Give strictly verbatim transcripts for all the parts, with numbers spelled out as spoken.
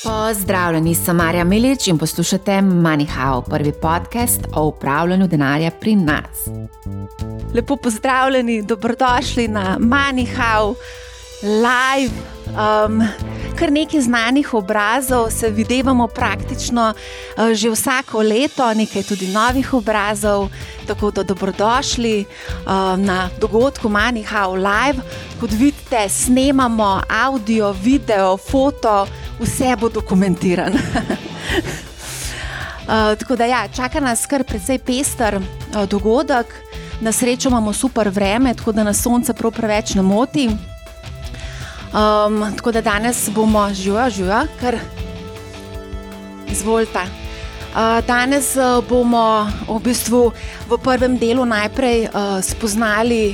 Pozdravljeni, sem Marja Milič in poslušate MoneyHow, prvi podcast o upravljanju denarja pri nas. Lepo pozdravljeni, dobrodošli na MoneyHow live. Um, kar nekaj znanih obrazov se videvamo praktično uh, že vsako leto, nekaj tudi novih obrazov, tako da dobrodošli uh, na dogodku MoneyHow live. Kot vidite, snemamo audio, video, foto, vse bo dokumentirano. uh, tako da ja, čaka nas kar precej pester uh, dogodek. Na srečo imamo super vreme, tako da nas sonce prav preveč ne moti. Um, tako da danes bomo živa, živa, kar izvolite. Uh, danes uh, bomo v bistvu v prvem delu najprej uh, spoznali,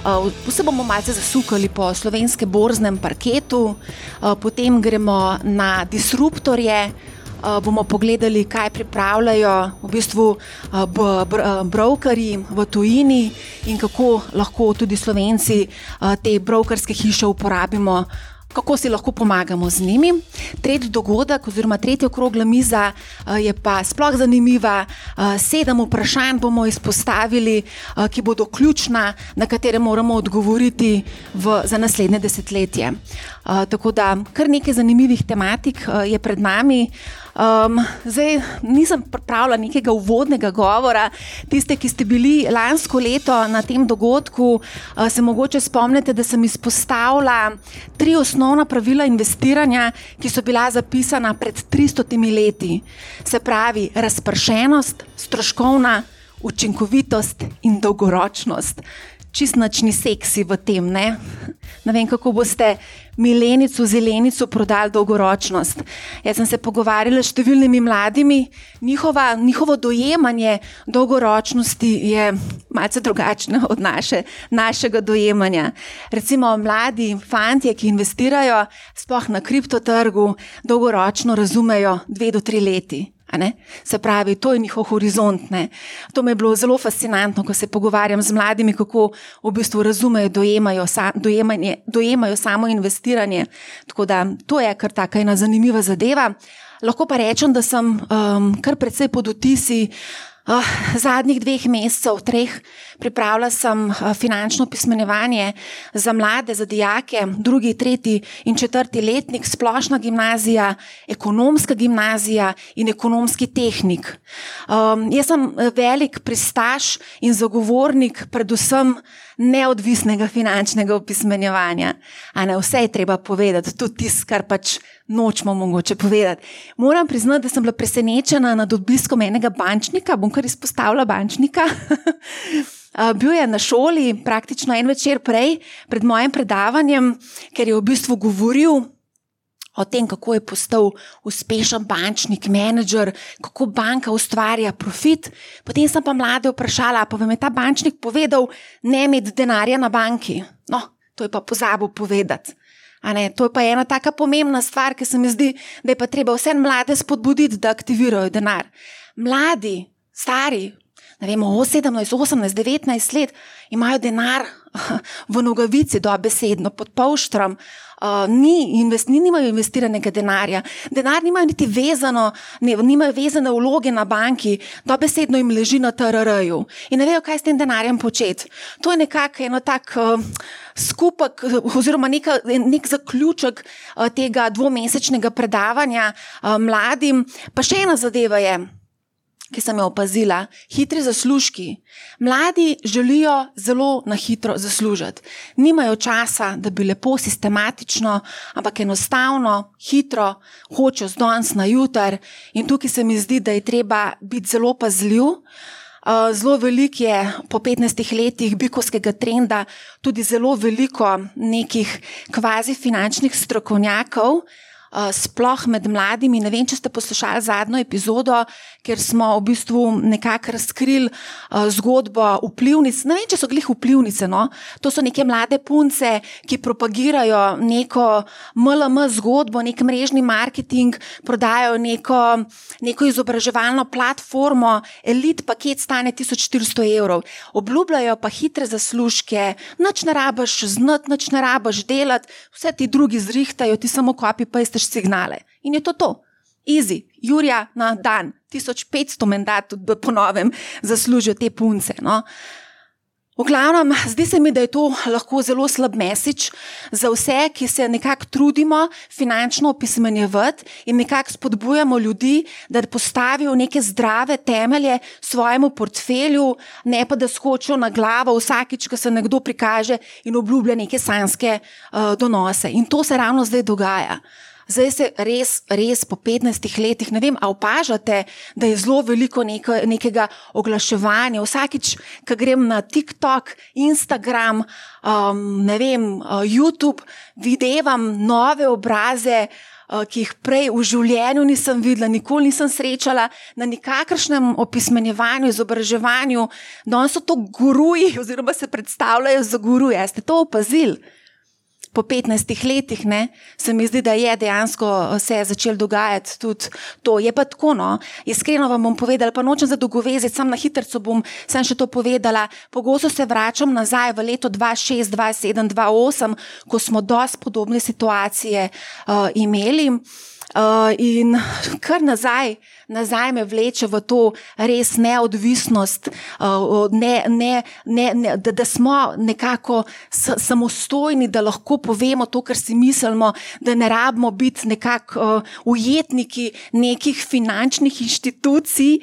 uh, vse bomo malce zasukali po slovenskem borznem parketu, uh, potem gremo na disruptorje, uh, bomo pogledali, kaj pripravljajo v bistvu uh, b- br- brokerji v tujini in kako lahko tudi Slovenci uh, te brokerske hiše uporabimo, kako si lahko pomagamo z njimi. Tretji dogodek oziroma tretja okrogla miza uh, je pa sploh zanimiva. Uh, sedem vprašanj bomo izpostavili, uh, ki bodo ključna, na katere moramo odgovoriti v, za naslednje desetletje. Uh, tako da kar nekaj zanimivih tematik uh, je pred nami. Um, zdaj nisem pripravila nekega uvodnega govora. Tiste, ki ste bili lansko leto na tem dogodku, uh, se mogoče spomnite, da sem izpostavila tri osnovna pravila investiranja, ki so bila zapisana pred tristotimi leti. Se pravi, razpršenost, stroškovna učinkovitost in dolgoročnost. Čist nič ni seksi v tem, ne? Ne vem, kako boste milenico, zelenico prodali dolgoročnost. Jaz sem se pogovarjala s številnimi mladimi, njihova, njihovo dojemanje dolgoročnosti je malce drugačno od naše, našega dojemanja. Recimo mladi fantje, ki investirajo sploh na kriptotrgu, dolgoročno razumejo dve do tri leti. Se pravi, to je njihov horizont. Ne? To mi je bilo zelo fascinantno, ko se pogovarjam z mladimi, kako v bistvu razumejo, dojemajo, sa, dojemanje, dojemajo samo investiranje. Tako da to je kar taka ena zanimiva zadeva. Lahko pa rečem, da sem um, kar precej pod vtisi Uh, zadnjih dveh mesecev, treh, pripravila sem uh, finančno pismenjevanje za mlade, za dijake, drugi, tretji in četrti letnik, splošna gimnazija, ekonomska gimnazija in ekonomski tehnik. Um, jaz sem velik pristaš in zagovornik predvsem neodvisnega finančnega opismenjevanja. A ne, vse je treba povedati, tudi tisto, kar pač nočemo mogoče povedati. Moram priznati, da sem bila presenečena nad obiskom enega bančnika, bom kar izpostavila bančnika. Bil je na šoli praktično en večer prej, pred mojim predavanjem, ker je v bistvu govoril o tem, kako je postal uspešen bančnik, menedžer, kako banka ustvarja profit. Potem sem pa mlade vprašala, pa vam je ta bančnik povedal, ne imeti denarja na banki. No, to je pa pozabil povedati. A ne, to je pa ena taka pomembna stvar, ki se mi zdi, da je pa treba vse mlade spodbuditi, da aktivirajo denar. Mladi, stari, ne vemo, sedemnajst, osemnajst, devetnajst let, imajo denar v nogavici dobesedno, pod polštrom, uh, ni invest, ni, nimajo investiranega denarja, denar nimajo niti vezano, ne, nimajo vezane vloge na banki, dobesedno jim leži na T R R-ju in ne vejo, kaj s tem denarjem početi. To je nekako eno tak uh, skupek oziroma neka, nek zaključek uh, tega dvomesečnega predavanja uh, mladim. Pa še ena zadeva je, ki sem jo opazila, hitri zaslužki. Mladi želijo zelo na hitro zaslužiti. Nimajo časa, da bi lepo sistematično, ampak enostavno, hitro, hočejo z danes na jutr in tukaj se mi zdi, da je treba biti zelo pazljiv. Zelo veliko je po petnajstih letih bikovskega trenda tudi zelo veliko nekih kvazi finančnih strokovnjakov, sploh med mladimi. Ne vem, če ste poslušali zadnjo epizodo, ker smo v bistvu nekako razkrili uh, zgodbo vplivnic. Ne vem, če so glih vplivnice, no. To so neke mlade punce, ki propagirajo neko M L M zgodbo, nek mrežni marketing, prodajajo neko, neko izobraževalno platformo, elit paket stane tisoč štiristo evrov. Obljubljajo pa hitre zaslužke, nič ne rabiš znati, nič ne rabiš delati, vse ti drugi zrihtajo, ti samo copy-pasteš signale In je to to. Easy. Jurja na dan. tisoč petsto mandat tudi po novem zaslužijo te punce. No? V glavnem, zdi se mi, da je to lahko zelo slab message za vse, ki se nekako trudimo finančno opismenjevati in nekako spodbujamo ljudi, da postavijo neke zdrave temelje svojemu portfelju, ne pa da skočijo na glavo vsakič, ko se nekdo prikaže in obljublja neke sanjske uh, donose. In to se ravno zdaj dogaja. Zdaj se res, res po petnajstih letih, ne vem, a opažate, da je zelo veliko neko, nekega oglaševanja. Vsakič, ko grem na TikTok, Instagram, um, ne vem, uh, YouTube, videvam nove obraze, uh, ki jih prej v življenju nisem videla, nikoli nisem srečala, na nikakršnem opismenjevanju, izobraževanju, da so to guruji oziroma se predstavljajo za guruje. Ste to opazili? Po petnajstih letih, ne, se mi zdi, da je dejansko se je začelo dogajati tudi to. Je pa tako, no, iskreno vam bom povedala, pa nočem za dolgoveziti, sam na hitrco bom sem še to povedala, pogosto se vračam nazaj v leto dva šest, dva sedem, dva osem, ko smo dosti podobne situacije uh, imeli uh, in kar nazaj, nazaj me vleče v to res neodvisnost, ne, ne, ne, ne, da, da smo nekako samostojni, da lahko povemo to, kar si mislimo, da ne rabimo biti nekako ujetniki nekih finančnih inštitucij,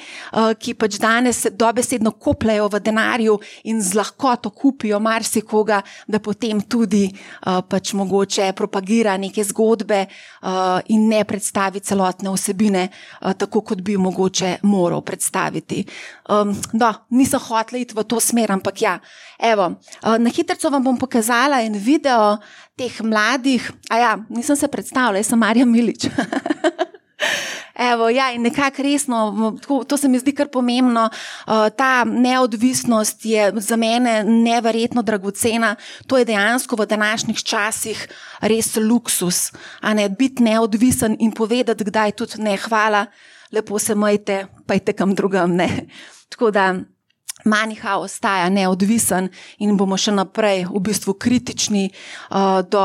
ki pač danes dobesedno kopljajo v denarju in z lahkoto kupijo marsikoga, da potem tudi pač mogoče propagira neke zgodbe in ne predstavi celotne vsebine, tako kot bi mogoče moral predstaviti. Um, no, nisem hotela iti v to smer, ampak ja. Evo, na hitrco vam bom pokazala en video teh mladih, a ja, nisem se predstavila, jaz sem Marja Milič. Evo, ja, in nekako resno, to se mi zdi kar pomembno, ta neodvisnost je za mene neverjetno dragocena, to je dejansko v današnjih časih res luksus, a ne, biti neodvisen in povedati, kdaj tudi ne, hvala, lepo se majte, pa idite kam drugam, ne. Tako da MoneyHow ostaja neodvisen in bomo še naprej v bistvu kritični uh, do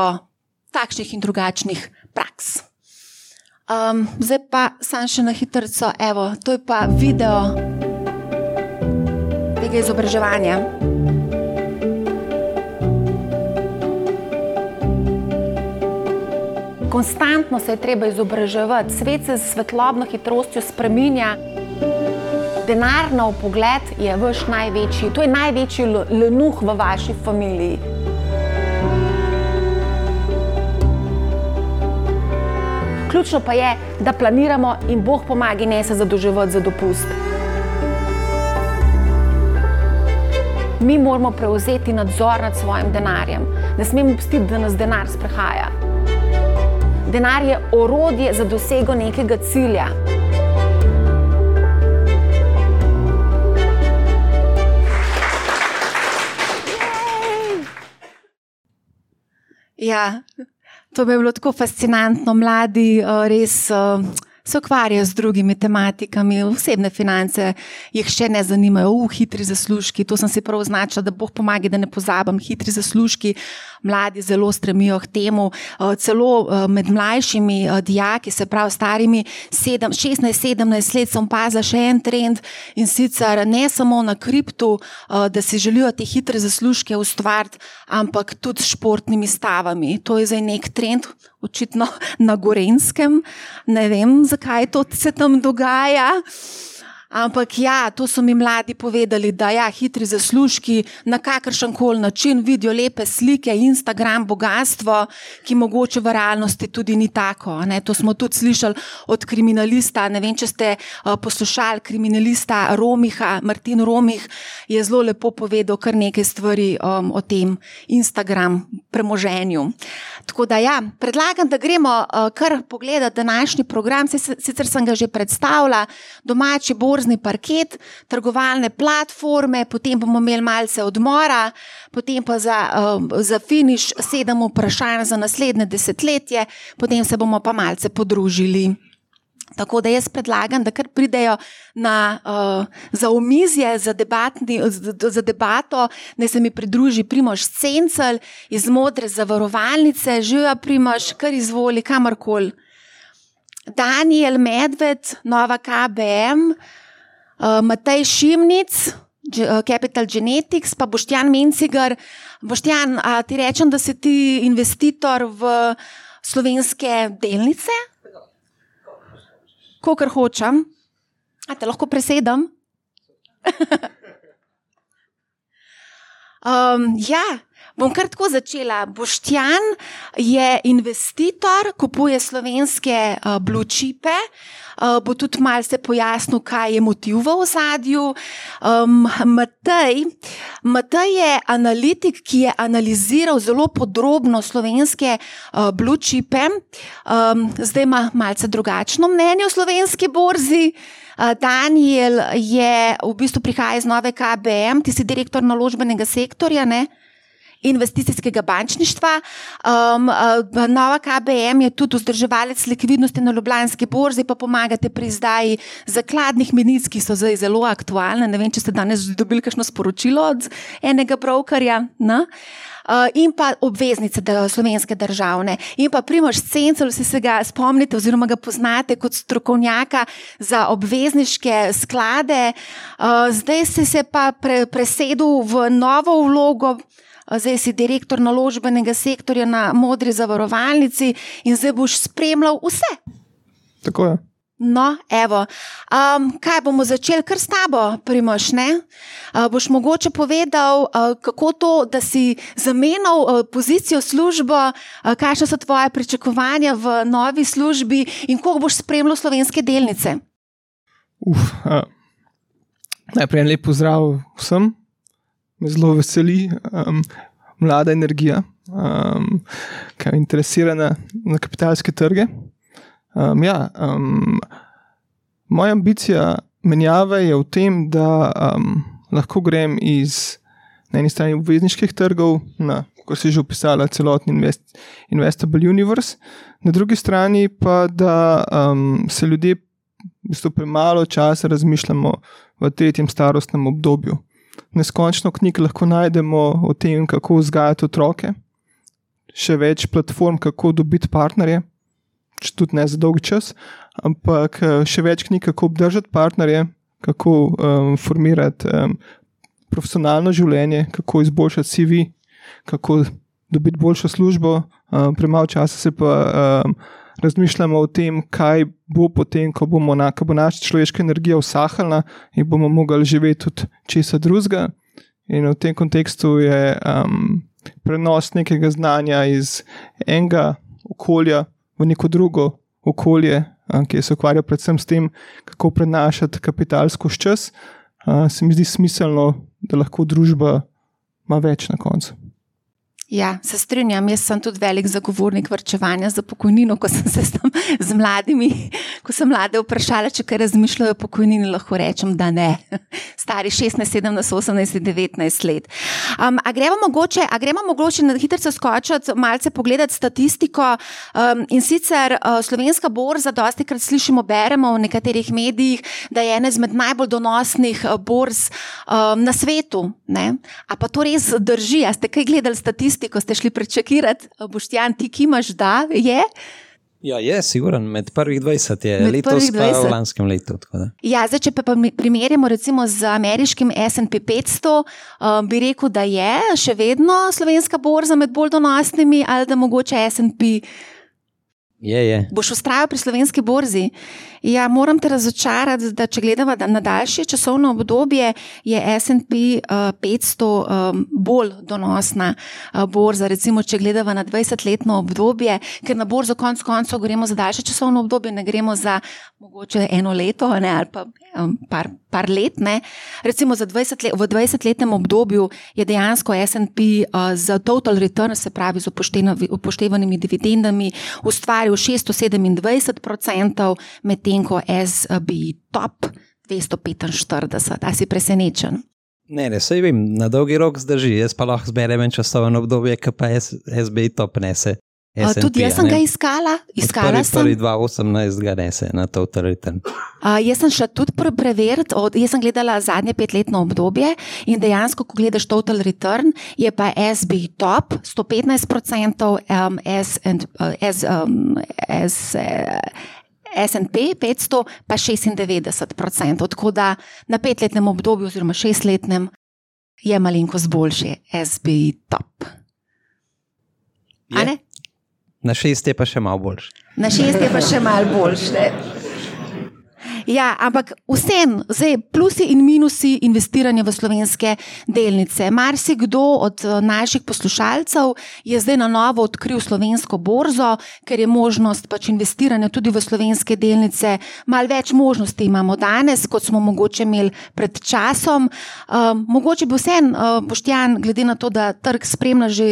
takšnih in drugačnih praks. Um, zdaj pa sam še na hitrco, evo, to je pa video tega izobraževanja. Konstantno se je treba izobraževati, svet se s svetlobno hitrostjo spreminja. Denar na vpogled je vaš največji, to je največji lenuh v vaši familiji. Ključno pa je, da planiramo in Bog pomagi, ne se zadolževati za dopust. Mi moramo prevzeti nadzor nad svojim denarjem. Ne smemo pustiti, da nas denar sprehaja. Denar je orodje za dosego nekega cilja. Ja, to bi bilo tako fascinantno. Mladi res se ukvarjajo z drugimi tematikami, osebne finance jih še ne zanimajo, uh, hitri zaslužki, to sem si prav označila, da Bog pomagi, da ne pozabim, hitri zaslužki, mladi zelo stremijo k temu, celo med mlajšimi dijaki, se pravi starimi šestnajst sedemnajst let, sem opazila še en trend in sicer ne samo na kriptu, da si želijo te hitre zaslužke ustvariti, ampak tudi s športnimi stavami. To je zdaj nek trend, očitno na Gorenjskem, ne vem, zakaj to se tam dogaja. Ampak ja, to so mi mladi povedali, da ja, hitri zaslužki na kakršenkoli način vidijo lepe slike, Instagram, bogatstvo, ki mogoče v realnosti tudi ni tako. Ne? To smo tudi slišali od kriminalista, ne vem, če ste uh, poslušali kriminalista Romiha, Martin Romih je zelo lepo povedal kar nekaj stvari um, o tem Instagram premoženju. Tako da ja, predlagam, da gremo uh, kar pogledati današnji program, sicer sem ga že predstavila, domači borzni parket, trgovalne platforme, potem bomo imeli malce odmora, potem pa za, uh, za finiš sedem vprašanj za naslednje desetletje, potem se bomo pa malce podružili. Tako da jaz predlagam, da kar pridejo na, uh, za omizje, za, debatni, za debato, da se mi pridruži Primož Cencelj iz Modre zavarovalnice. Živja Primož, kar izvoli, kamorkoli. Daniel Medved, Nova K B M, uh, Matej Šimnic, Capital Genetics, pa Boštjan Mencigar. Boštjan, a ti rečem, da si ti investitor v slovenske delnice? Kakor hočem. A te lahko presedem? um, ja, bom kar tako začela. Boštjan je investitor, kupuje slovenske uh, blue chipe. Uh, bo tudi malo se pojasnil, kaj je motiv v ozadju. Um, Matej, Matej je analitik, ki je analiziral zelo podrobno slovenske uh, blue chipe. Um, zdaj ima malce drugačno mnenje o slovenski borzi. Uh, Daniel je v bistvu prihaja iz Nove K B M, ti si direktor naložbenega sektorja, ne? Investicijskega bančništva. Um, uh, Nova K B M je tudi vzdrževalec likvidnosti na Ljubljanski borzi, pa pomagate pri izdaji zakladnih menic, ki so zdaj zelo aktualne. Ne vem, če ste danes dobili kakšno sporočilo od enega brokerja. No? Uh, in pa obveznice slovenske državne. In pa Primož Cencel, vsi se ga spomnite oziroma ga poznate kot strokovnjaka za obvezniške sklade. Uh, zdaj ste se pa pre, presedel v novo vlogo. Zdaj si direktor naložbenega sektorja na Modri zavarovalnici in zdaj boš spremljal vse. Tako je. No, evo, um, kaj bomo začeli kar s tabo, Primož, ne? Uh, boš mogoče povedal, uh, kako to, da si zamenjal uh, pozicijo službo, uh, kakšne so tvoje pričakovanja v novi službi in koliko boš spremljal slovenske delnice? Uf, uh, najprej en lep pozdrav vsem. Me zelo veseli um, mlada energija, um, ki je interesirana na kapitalske trge. Um, ja, um, moja ambicija menjave je v tem, da um, lahko grem iz na eni strani obvezniških trgov na, kot si že opisala, celotni invest, investable universe, na drugi strani pa, da um, se ljudje v bistvu premalo časa razmišljamo v tretjem starostnem obdobju. Neskončno knjig lahko najdemo o tem, kako vzgajati otroke, še več platform, kako dobiti partnerje, tudi ne za dolg čas, ampak še več knjig, kako obdržati partnerje, kako um, formirati um, profesionalno življenje, kako izboljšati C V, kako dobiti boljšo službo. Um, premalo časa se pa um, razmišljamo o tem, kaj bo potem, ko bomo na, ko bo naša človeška energija usahala in bomo mogli živeti tudi česa drugega. In v tem kontekstu je um, prenos nekega znanja iz enega okolja v neko drugo okolje, um, ki se ukvarja predvsem s tem, kako prenašati kapitalsko čas, uh, se mi zdi smiselno, da lahko družba ima več na koncu. Ja, se strinjam, jaz sem tudi velik zagovornik varčevanja za pokojnino, ko sem se tam z mladimi, ko sem mlade vprašala, če kaj razmišljajo o pokojnini, lahko rečem, da ne. Stari šestnajst, sedemnajst, osemnajst, devetnajst let. Um, a gremo mogoče, a gremo mogoče na hitro skočiti, malce pogledati statistiko um, in sicer uh, slovenska borza, dostikrat slišimo, beremo v nekaterih medijih, da je ena izmed najbolj donosnih borz um, na svetu. Ne? A pa to res drži? A ste kaj gledali statistiko? Ko ste šli prečekirati, Boštjan, ti kimaš, da je? Ja, je, siguran, med prvih dvajset je, med letos prvih dvajset. Pa v lanskem letu. Tako da. Ja, zdaj, če pa primerjamo recimo z ameriškim S and P petsto, um, bi rekel, da je še vedno slovenska borza med bolj donosnimi ali da mogoče S and P. Je, je. Boš vztrajal pri slovenski borzi? Ja, moram te razočarati, da če gledamo na daljše časovno obdobje, je S and P uh, petsto um, bolj donosna uh, borza, recimo, če gledamo na dvajsetletno obdobje, ker na borzo konc koncev gremo za daljše časovno obdobje, ne gremo za mogoče eno leto, ne, ali pa um, par, par let, ne. Recimo za dvajset let, v dvajsetletnem obdobju je dejansko S and P uh, za total return, se pravi z upoštevanimi dividendami, ustvaril šeststo sedemindvajset procentov, medtem ko S and P top dvesto petinštirideset. A si presenečen? Ne, ne, saj vem, na dolgi rok zdrži, jaz pa lahko zberem en časovno obdobje, ki pa S and P top nese. Uh, tudi jaz sem ga iskala, iskala sem. Prvi dva osemnajst ga nese na total return. Uh, jaz sem šla tudi preveriti, jaz sem gledala zadnje petletno obdobje in dejansko, ko gledaš total return, je pa S and P top sto petnajst procentov, um, S and, uh, S, um, S, uh, S and P petsto pa šestindevetdeset procentov, tako da na petletnem obdobju oziroma šestletnem je malenkost boljši S B I top. A ne? Na šest je pa še malo boljši. Na šest je pa še malo boljši. Ja, ampak vsem, zdaj plusi in minusi investiranja v slovenske delnice. Marsikdo od naših poslušalcev je zdaj na novo odkril slovensko borzo, ker je možnost pač investiranja tudi v slovenske delnice. Malo več možnosti imamo danes, kot smo mogoče imeli pred časom. Um, mogoče bi vsem, uh, Boštjan, glede na to, da trg spremlja že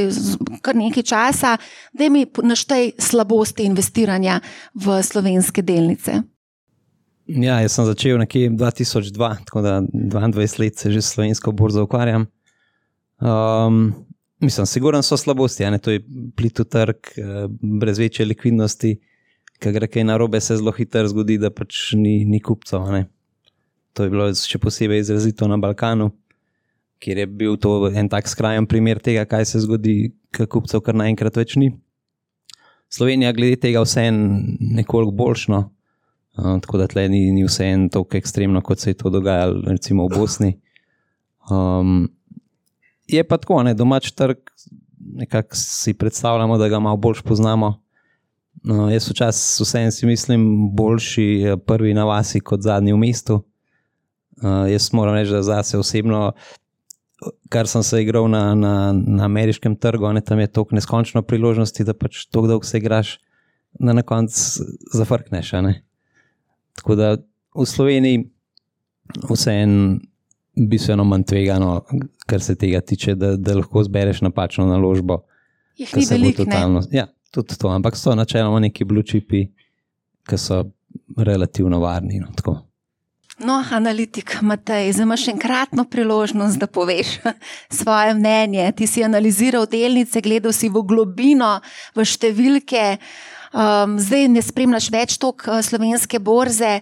kar nekaj časa, da mi naštej slabosti investiranja v slovenske delnice. Ja, jaz sem začel nekje dva tisoč dva, tako da dvaindvajset let se že s slovensko borzo ukvarjam. Um, mislim, sigurno so slabosti, ne? To je plitu trg, brez večje likvidnosti, ko gre kaj narobe, se zelo hitro zgodi, da pač ni, ni kupcev. Ne? To je bilo še posebej izrazito na Balkanu, kjer je bil to en tak skrajen primer tega, kaj se zgodi, ko kupcev kar naenkrat več ni. Slovenija glede tega vse nekoliko boljšno. Uh, tako da tle ni, ni vse en toliko ekstremno, kot se je to dogajalo recimo v Bosni. Um, je pa tako, ne, domač trg, nekako si predstavljamo, da ga malo bolj poznamo. Uh, jaz včasih vsem si mislim boljši prvi na vasi kot zadnji v mestu. Uh, jaz moram reči, da zase osebno, kar sem se igral na, na, na ameriškem trgu, ne, tam je toliko neskončno priložnosti, da pač toliko dolgo se igraš, da na koncu zafrkneš, ne. Tako da v Sloveniji vseeno bistveno manj tvegano, kar se tega tiče, da, da lahko zbereš napačno naložbo. Jih ni veliko, totalno, ne? Ja, tudi to, ampak so načeloma neki blue chipi, ki so relativno varni. No, tako. No, analitik Matej, zdaj imaš enkratno priložnost, da poveš svoje mnenje. Ti si analiziral delnice, gledal si v globino, v številke. Um, zdaj ne spremljaš več tok slovenske borze.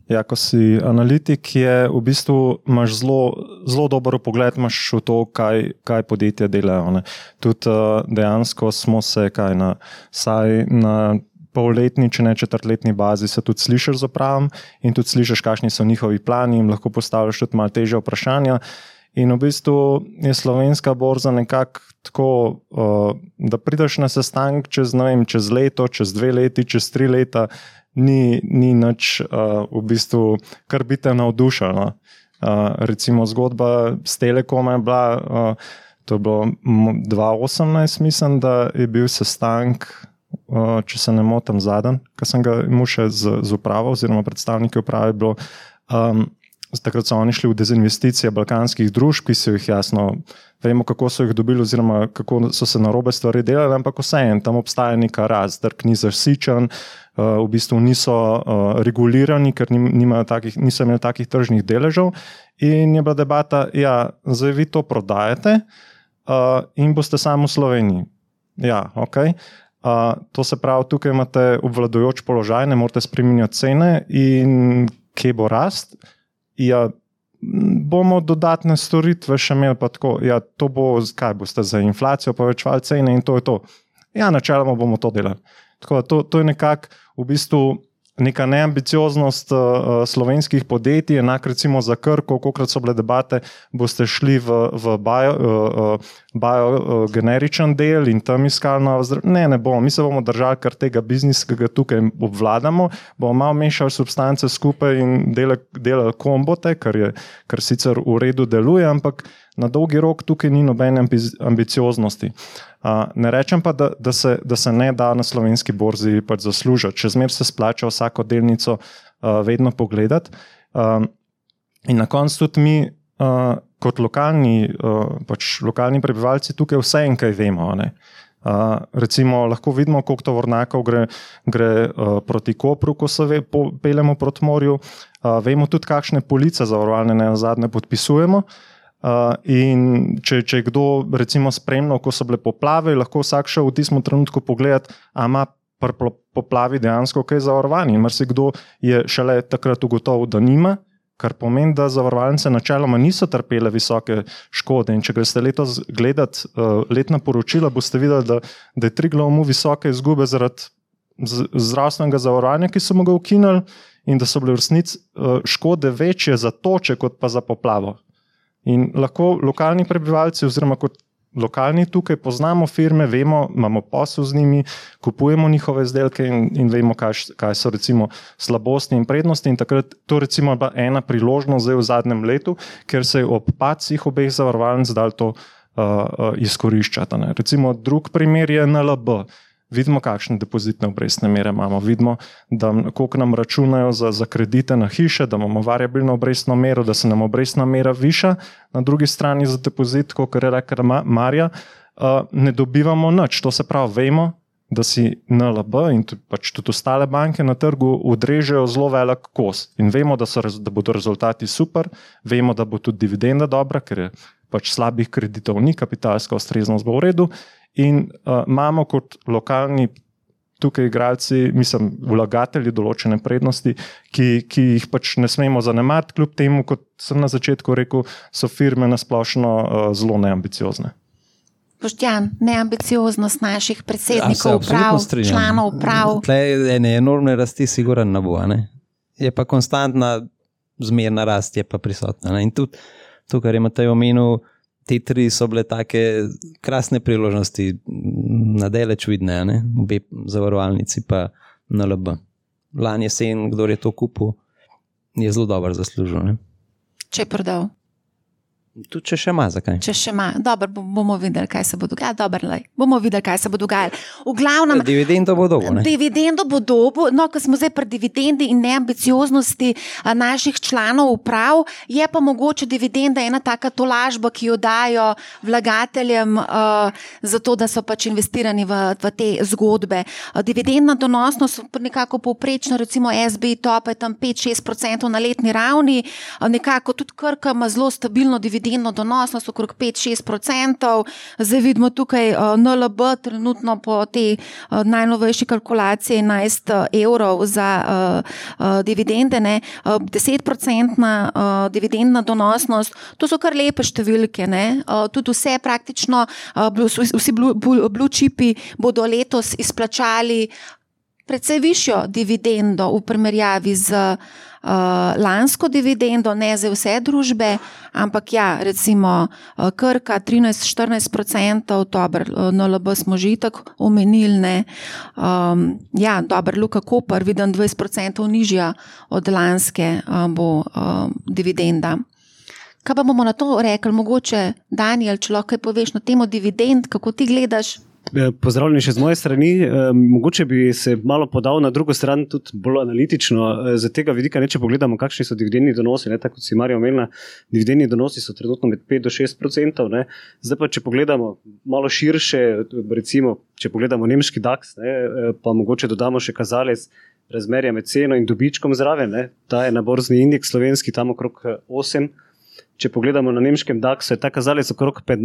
Ja, ko si analitik, je v bistvu imaš zelo, zelo dober pogled imaš v to, kaj, kaj podjetja delajo. Ne. Tudi uh, dejansko smo se kaj na, saj na polletni, če ne četrtletni bazi se tudi slišiš z upravom in tudi slišiš, kakšni so njihovi plani in lahko postavljaš tudi malo težje vprašanja. In v bistvu je slovenska borza nekako tako, uh, da prideš na sestanek čez, ne vem, čez leto, čez dve leti, čez tri leta, ni, ni nič uh, v bistvu, kar bi te navdušalo. Uh, recimo zgodba s Telekom je bila, uh, to je bilo dva tisoč osemnajst, mislim, da je bil sestanek, uh, če se ne motim zadnji, ko sem ga imel še z, z upravo oziroma predstavniki uprave, bilo um, takrat so oni šli v dezinvesticije balkanskih družb, ki so jih jasno, vemo kako so jih dobili oziroma kako so se narobe stvari delali, ampak vseeno, tam obstaja neka rast, trg ni zasičen, v bistvu niso regulirani, ker nimajo takih, niso imeli takih tržnih deležev in je bila debata, ja, zdaj vi to prodajate in boste samo v Sloveniji. Ja, okej. Okay. To se pravi, tukaj imate obvladujoč položaj, ne morete spreminjati cene in kje bo rast? Ja, bomo dodatne storitve še imeli pa tako, ja, to bo, kaj boste za inflacijo povečevali cene in to je to. Ja, načeloma bomo to delali. Tako da to, to je nekako v bistvu neka neambicioznost uh, slovenskih podjetij, enak recimo za Krko, kolikrat so bile debate, boste šli v, v bio, uh, bio uh, generičen del in tam iskali novo zdravje. Ne, ne bomo, mi se bomo držali kar tega biznisa, ki ga tukaj obvladamo, bomo malo mešali substance skupaj in delali, delali kombote, kar, je, kar sicer v redu deluje, ampak na dolgi rok tukaj ni nobene ambicioznosti. Uh, ne rečem pa, da, da, se, da se ne da na slovenski borzi pač zaslužiti. Čez mer se splača vsako delnico uh, vedno pogledati. Uh, in na koncu tudi mi, uh, kot lokalni, uh, pač lokalni prebivalci, tukaj vse en kaj vemo. Ne? Uh, recimo, lahko vidimo, koliko tovornjakov gre, gre uh, proti Kopru, ko se ve, po, peljemo proti morju. Uh, vemo tudi, kakšne police zavarovalne ne nazadnje podpisujemo. Uh, in če, če je kdo recimo spremljal, ko so bile poplave, lahko vsak šel v tistem trenutku pogledati, a ima pri poplavi dejansko kaj zavarovanje. In marsikdo je šele takrat ugotovil, da nima kar pomeni, da zavarovalnice načeloma niso trpele visoke škode. In če greste letos gledati uh, letna poročila, boste videli, da, da je Triglav imel visoke izgube zaradi zdravstvenega zavarovanja, ki so mu ga ukinili, in da so bile v resnici uh, škode večje za toče, kot pa za poplavo. In lahko lokalni prebivalci oziroma kot lokalni tukaj poznamo firme, vemo, imamo posel z njimi, kupujemo njihove izdelke in, in vemo, kaj, kaj so recimo slabosti in prednosti. In takrat to recimo bila ena priložnost zdaj v zadnjem letu, ker se je ob padcih obeh zavarovalnic dal to uh, uh, izkoriščati. Ne. Recimo drug primer je N L B. Vidimo, kakšne depozitne obrestne mere imamo. Vidimo, da koliko nam računajo za, za kredite na hiše, da imamo variabilno obrestno mero, da se nam obrestna mera viša. Na drugi strani za depozit, kot je rekla Marja, ne dobivamo nič. To se pravi, vemo, da si N L B in pač tudi ostale banke na trgu odrežejo zelo velik kos. In vemo, da, so, da bodo rezultati super, vemo, da bo tudi dividenda dobra, ker je pač slabih kreditov ni, kapitalska ustreznost bo v redu. In uh, imamo kot lokalni tukaj igralci, mislim, vlagatelji določene prednosti, ki, ki jih pač ne smemo zanemariti, kljub temu, kot sem na začetku rekel, so firme nasplošno uh, zelo neambiciozne. Boštjan, neambicioznost naših predsednikov uprav, članov uprav. Tle ene enormne rasti siguran ne bo, ne? Je pa konstantna zmerna rast, je pa prisotna. Ne? In tudi to, kar je Matej omenil, te tri so bile take krasne priložnosti, nadaleč vidne, ne? Obe zavarovalnici pa N L B. Lani jesen, kdo je to kupil, je zelo dobro zaslužil. Ne? Če je prodal. Tudi če še ima, zakaj? Če še ima, dobro, bomo videli, kaj se bo dogajalo. Dobro, lej, bomo videli, kaj se bo dogajalo. V glavnem, dividendo bo dobo, ne? Dividendo bo dobo, no, ko smo zdaj pri dividendi in neambicioznosti naših članov uprav, je pa mogoče dividenda ena taka tolažba, ki jo dajo vlagateljem uh, zato, da so pač investirani v, v te zgodbe. Uh, dividendna donosnost nekako povprečno, recimo S B I top je tam pet do šest procentov na letni ravni, uh, nekako tudi Krka ima zelo stabilno dividendo donosnost okrog pet do šest procentov. Zdaj vidimo tukaj uh, N L B trenutno po tej uh, najnovejši kalkulaciji enajst evrov za uh, uh, dividende, ne, uh, deset procentna uh, dividendna donosnost. To so kar lepe številke, ne. Uh, tudi vse praktično, uh, vsi blue, blue chipi bodo letos izplačali precej višjo dividendo v primerjavi z uh, lansko dividendo, ne za vse družbe, ampak ja, recimo uh, Krka trinajst do štirinajst procentov, dober, uh, N L B smo že itak omenili, ne. Um, ja, dober, Luka Koper, vidim dvajset procentov nižja od lanske uh, bo uh, dividenda. Kaj pa bomo na to rekli? Mogoče, Daniel, če lahko kaj poveš na temo dividend, kako ti gledaš? Pozdravljeni še z moje strani. Mogoče bi se malo podal na drugo stran, tudi bolj analitično. Z tega vidika, ne, če pogledamo, kakšni so dividendni donosi, ne, tako kot si Marja omenila, dividendni donosi so trenutno med pet do šest procentov. Ne. Zdaj pa, če pogledamo malo širše, recimo, če pogledamo nemški DAX, ne, pa mogoče dodamo še kazalec razmerja med ceno in dobičkom zraven, ne. Ta je na borzni indeks slovenski, tam okrog osem. Če pogledamo na nemškem DAX-u, je ta kazalec okrog pet...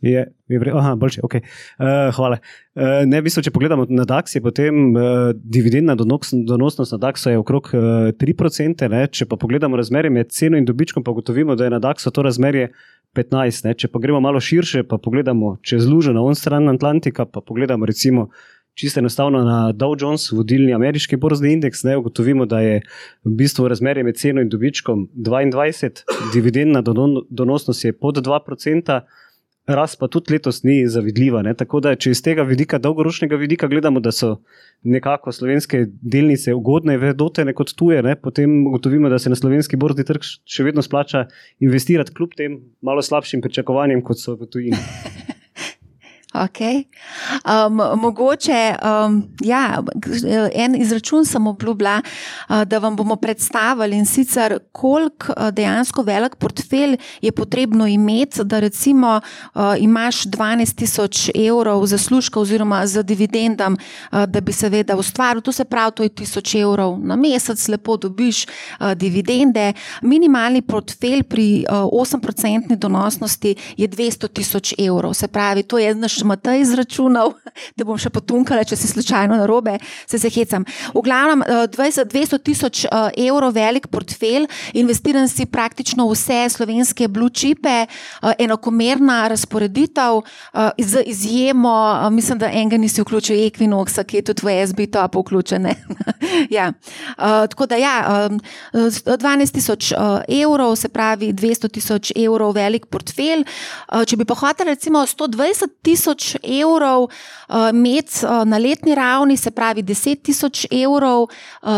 Je, je vre, aha, boljše, ok. Uh, hvala. Uh, ne, v bistvu, če pogledamo na DAX, je potem uh, dividendna donos, donosnost na DAX-u je okrog uh, tri procente, ne? Če pa pogledamo razmerje med ceno in dobičkom, pa gotovimo, da je na DAX-u to razmerje petnajst. Ne? Če pa gremo malo širše, pa pogledamo čez lužo na on stran Atlantika, pa pogledamo recimo čisto enostavno na Dow Jones, vodilni ameriški borzni indeks, ne, ugotovimo, da je v bistvu razmerje med ceno in dobičkom dvaindvajset, dividendna donosnost je pod dva procenta, rast pa tudi letos ni zavidljiva. Ne? Tako da, če iz tega vidika, dolgoročnega vidika gledamo, da so nekako slovenske delnice ugodne, vedotene kot tuje, ne? Potem ugotovimo, da se na slovenski borzni trg še vedno splača investirati kljub tem malo slabšim pričakovanjem, kot so v tujini. Ok. Um, mogoče, um, ja, en izračun sem obljubila, uh, da vam bomo predstavili in sicer koliko uh, dejansko velik portfelj je potrebno imeti, da recimo uh, imaš dvanajst tisoč evrov zaslužka oziroma za dividendam, uh, da bi seveda ustvaril, to se pravi, to je tisoč evrov na mesec, lepo dobiš uh, dividende. Minimalni portfelj pri uh, osem procentni donosnosti je dvesto tisoč evrov, se pravi, to je naš Matej izračunal, da bom še potunkala, če si slučajno narobe, se se hecam. V glavnem, dvesto tisoč evrov velik portfelj, investiran si praktično vse slovenske blue chipe, enakomerna razporeditev, z izjemo, mislim, da enega nisi vključil Equinoxa, ki je tudi v S B top vključen. Ja. Tako da ja, dvanajst tisoč evrov, se pravi dvesto tisoč evrov velik portfelj. Če bi pa hotel recimo sto dvajset tisoč evrov imeti na letni ravni, se pravi deset tisoč evrov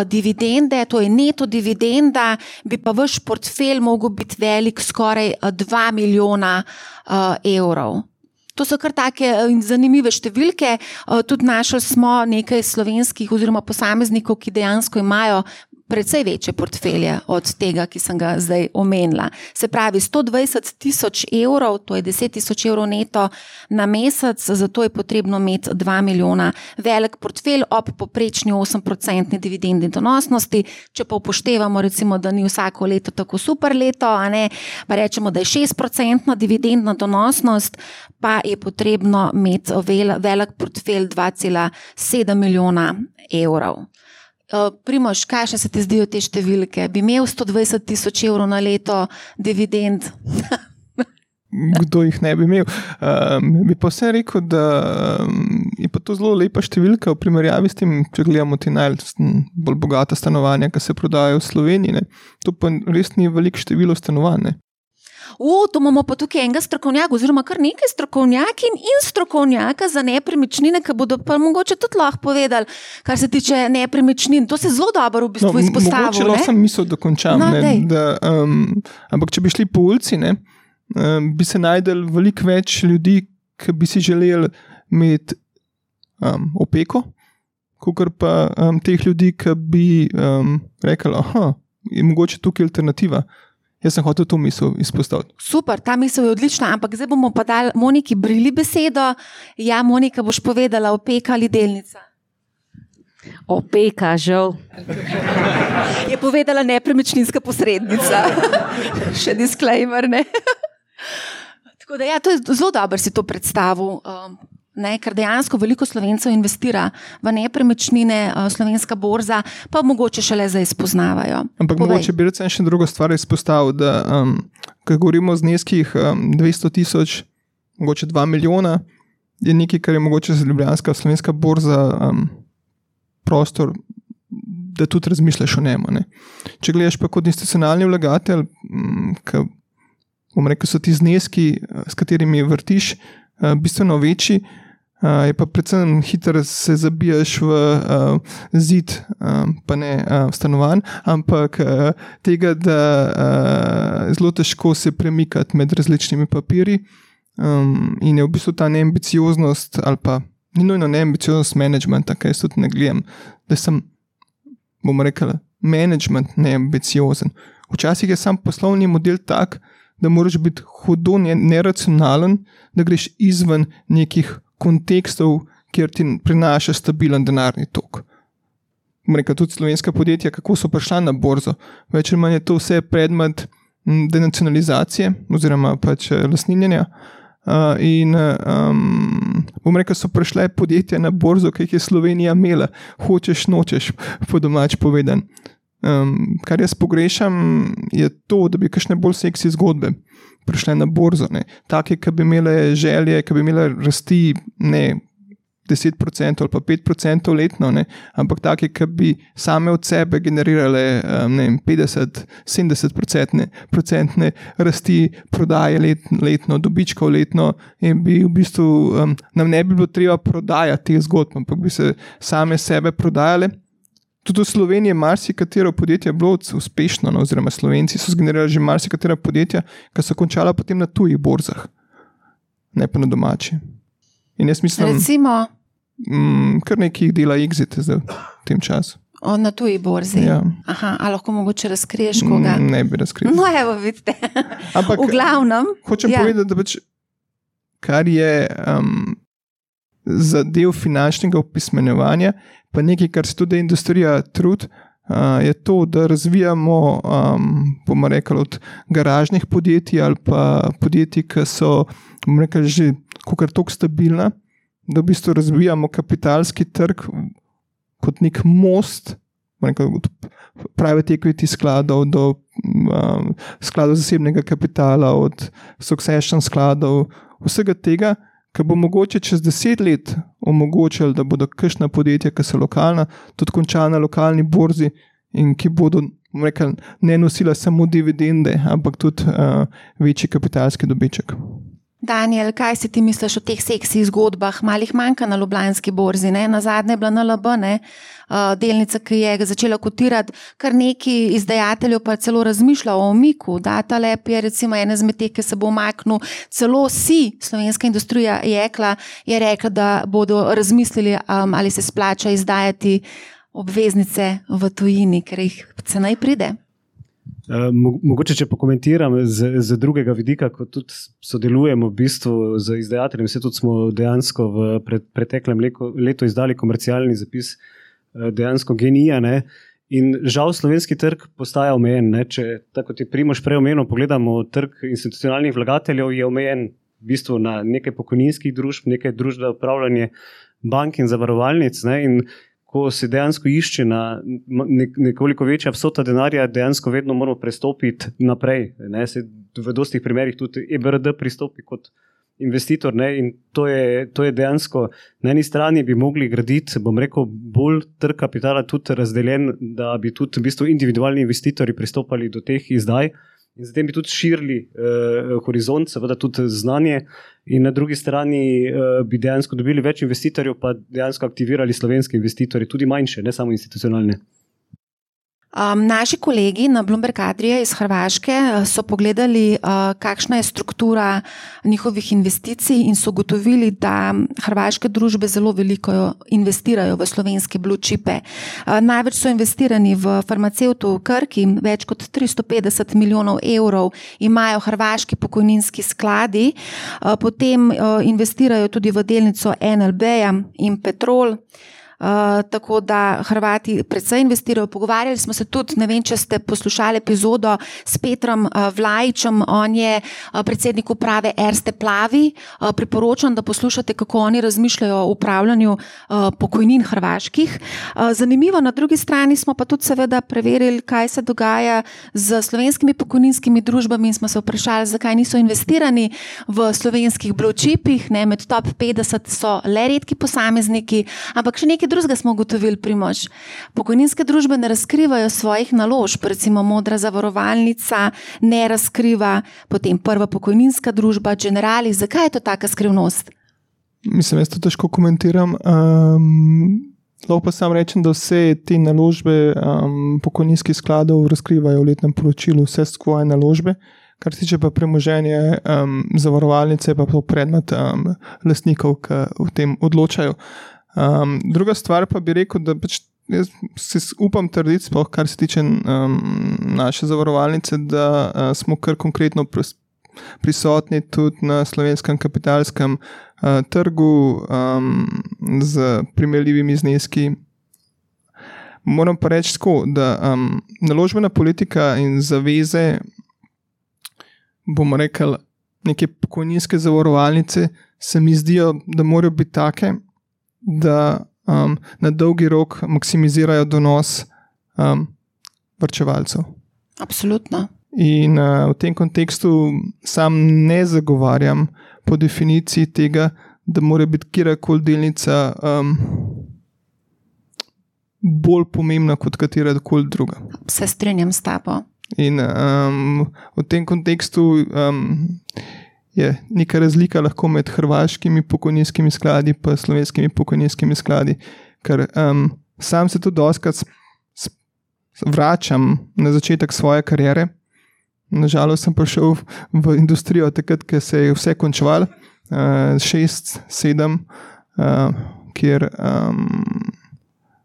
dividende, to je neto dividenda, bi pa vaš portfelj mogel biti velik skoraj dva milijona evrov. To so kar take zanimive številke, tudi našli smo nekaj slovenskih oziroma posameznikov, ki dejansko imajo precej večje portfelje od tega, ki sem ga zdaj omenila. Se pravi, sto dvajset tisoč evrov, to je deset tisoč evrov neto na mesec, zato je potrebno imeti dva milijona velik portfelj ob poprečni osem procentni dividendni donosnosti. Če pa upoštevamo, recimo, da ni vsako leto tako super leto, a ne, pa rečemo, da je šest procentna dividendna donosnost, pa je potrebno imeti velik portfelj dva cela sedem milijona evrov. Primož, kaj še se ti zdijo te številke? Bi imel sto dvajset tisoč evrov na leto dividend? Kdo jih ne bi imel? Um, bi pa vse rekel, da um, je pa to zelo lepa številka v primerjavi s tem, če gledamo ti najbolj bogata stanovanja, ki se prodajajo v Sloveniji. Ne? To pa res ni veliko število stanovanj. O, to imamo pa tukaj enega strokovnjaka, oziroma kar nekaj strokovnjakin in strokovnjaka za nepremičnine, ki bodo pa mogoče tudi lahko povedali, kar se tiče nepremičnin. To se zelo dobro v bistvu no, izpostavil. Mogoče lahko sem misel dokončam. No, ne, da, um, ampak če bi šli po ulici, ne, um, bi se najdel veliko več ljudi, ki bi si želeli imeti um, opeko, kakor pa um, teh ljudi, ki bi um, rekli, aha, je mogoče tukaj alternativa. Jaz sem hotel to misel izpostaviti. Super, ta misel je odlična, ampak zdaj bomo pa dali Moniki Brili besedo. Ja, Monika, boš povedala, opeka ali delnica? Opeka, žal. Je povedala nepremičninska posrednica. Še disclaimer, ne? Tako da ja, to je zelo dobro si to predstavil. Um, Ne, ker dejansko veliko Slovencev investira v nepremičnine, slovenska borza, pa mogoče šele zdaj spoznavajo. Ampak Povej. Mogoče bi recimo še drugo stvar izpostavil, da um, ko govorimo o zneskih um, dvesto tisoč, mogoče dva milijona, je nekaj, kar je mogoče za ljubljanska slovenska borza um, prostor, da tudi razmišljaš o njemu. Ne. Če gledaš pa kot institucionalni vlagatelj, um, ki, bom rekel, so ti zneski, s katerimi vrtiš, uh, bistveno večji, Uh, je pa predvsem hitro se zabijaš v uh, zid, um, pa ne uh, stanovanj, ampak uh, tega, da uh, zelo težko se premikati med različnimi papiri um, in je v bistvu ta neambicioznost ali pa ni nujno neambicioznost managementa, kaj jaz tudi ne gledam, da sem, bom rekel, management neambiciozen. Včasih je sam poslovni model tak, da moraš biti hudo neracionalen, da greš izven nekih kontekstov, kjer ti prinaša stabilen denarni tok. Rekel, tudi slovenska podjetja, kako so prišla na borzo. Več ali manj je to vse predmet denacionalizacije oziroma pač lastninjenja. Uh, in um, bom rekel, so prišle podjetja na borzo, ki jih je Slovenija imela. Hočeš, nočeš, po domač povedan. Um, kar jaz pogrešam, je to, da bi kakšne bolj seksi zgodbe prišle na borzo. Ne. Take, ki bi imele želje, ki bi imele rasti ne deset procentov ali pa pet procentov letno, ne, ampak take, ki bi same od sebe generirale um, ne, petdeset do sedemdeset procentne rasti prodaje let, letno, dobičkov letno in bi v bistvu um, nam ne bi bilo treba prodajati teh zgodb, ampak bi se same sebe prodajale. Tudi v Sloveniji je marsikatero podjetje bilo uspešno, no, oziroma Slovenci so zgenerirali že marsikatera podjetja, ki so končala potem na tujih borzah, ne pa na domači. In jaz mislim, Recimo, m, kar nekaj dela exit zdaj v tem času. O, na tuji borzi? Ja. Aha, a lahko mogoče razkriješ koga? Ne bi razkril. No, evo, vidite. Ampak, v glavnem. Hočem ja. povedati, da pač, kar je um, za del finančnega opismenjevanja, pa nekaj, kar se tudi industrija trud, uh, je to, da razvijamo, um, bomo rekli, od garažnih podjetij ali pa podjetij, ki so, bomo rekli, že kakor toliko stabilna, da v bistvu razvijamo kapitalski trg kot nek most, od private equity skladov do um, skladov zasebnega kapitala, od succession skladov, vsega tega, ki bo mogoče čez deset let omogočili, da bodo kakšna podjetja, ki so lokalna, tudi končala na lokalni borzi in ki bodo rekel, ne nosila samo dividende, ampak tudi uh, večji kapitalski dobiček. Daniel, kaj si ti misliš o teh seksi zgodbah? Malih manjka na Ljubljanski borzi, ne? Na zadnje je bila N L B, ne? Uh, delnica, ki je začela kotirati, kar neki izdajateljev pa celo razmišlja o umiku. Datalab je recimo ena izmed teh, ki se bo umaknil. Celo si, slovenska industrija jekla, je rekla, da bodo razmislili, um, ali se splača izdajati obveznice v tujini, ker jih cenej pride. Uh, mogoče, če pokomentiram z, z drugega vidika, ko tudi sodelujemo v bistvu z izdajateljem, vse tudi smo dejansko v pred, preteklem letu, letu izdali komercialni zapis uh, dejansko genija, ne? In žal slovenski trg postaja omejen, ne? Če, tako kot je Primož prej omenil, pogledamo trg institucionalnih vlagateljev, je omejen v bistvu na nekaj pokojninskih družb, nekaj družb za upravljanje bank in zavarovalnic, ne? In ko se dejansko išče na nekoliko večja vsota denarja, dejansko vedno moramo prestopiti naprej. Ne? Se v dostih primerih tudi E B R D pristopi kot investitor, ne? In to je, to je dejansko, na eni strani bi mogli graditi, bom rekel, bolj trg kapitala tudi razdeljen, da bi tudi v bistvu individualni investitorji pristopali do teh izdaj in zatem bi tudi širili eh, horizont, seveda tudi znanje, in na drugi strani eh, bi dejansko dobili več investitorjev, pa dejansko aktivirali slovenske investitorje, tudi manjše, ne samo institucionalne. Um, naši kolegi na Bloomberg Adria iz Hrvaške so pogledali, uh, kakšna je struktura njihovih investicij in so ugotovili, da hrvaške družbe zelo veliko investirajo v slovenske blue chipe. Uh, največ so investirani v farmacevtu v Krki, več kot tristo petdeset milijonov evrov imajo hrvaški pokojninski skladi, uh, potem uh, investirajo tudi v delnico N L B-ja in Petrol. Uh, tako da Hrvati predvsej investirajo. Pogovarjali smo se tudi, ne vem, če ste poslušali epizodo s Petrom uh, Vlajičem, on je uh, predsednik uprave Erste Plavi. Uh, priporočam, da poslušate, kako oni razmišljajo o upravljanju uh, pokojnin hrvaških. Uh, zanimivo, na drugi strani smo pa tudi seveda preverili, kaj se dogaja z slovenskimi pokojninskimi družbami in smo se vprašali, zakaj niso investirani v slovenskih blue chipih, ne, med top petdeset so le redki posamezniki, ampak še nekaj drugega smo ugotovili, Primož. Pokojninske družbe ne razkrivajo svojih naložb, recimo Modra zavarovalnica ne razkriva, potem Prva pokojninska družba, Generali. Zakaj je to taka skrivnost? Mislim, jaz to težko komentiram. Um, lahko pa sam rečem, da vse te naložbe um, pokojninskih skladov razkrivajo v letnem poročilu, vse svoje naložbe. Kar se tiče pa premoženje um, zavarovalnice, pa to predmet um, lastnikov, ki v tem odločajo. Um, druga stvar pa bi rekel, da pač jaz se upam trditi, sploh kar se tiče um, naše zavarovalnice, da uh, smo kar konkretno pris, prisotni tudi na slovenskem kapitalskem uh, trgu um, z primerljivimi zneski. Moram pa reči tako, da um, naložbena politika in zaveze, bomo rekli, neke pokojninske zavarovalnice se mi zdijo, da morajo biti take, da um, na dolgi rok maksimizirajo donos um, varčevalcev. Absolutno. In uh, v tem kontekstu sam ne zagovarjam po definiciji tega, da mora biti kjerkoli delnica um, bolj pomembna kot katerakoli druga. Se strinjam s tabo. In um, v tem kontekstu um, je neka razlika lahko med hrvaškimi pokojninskimi skladi pa slovenskimi pokojninskimi skladi, ker um, sam se tudi dostakrat vračam na začetek svoje kariere. Nažalost sem prišel v industrijo takrat, ko se je vse končalo, uh, šest, sedem, uh, kjer um,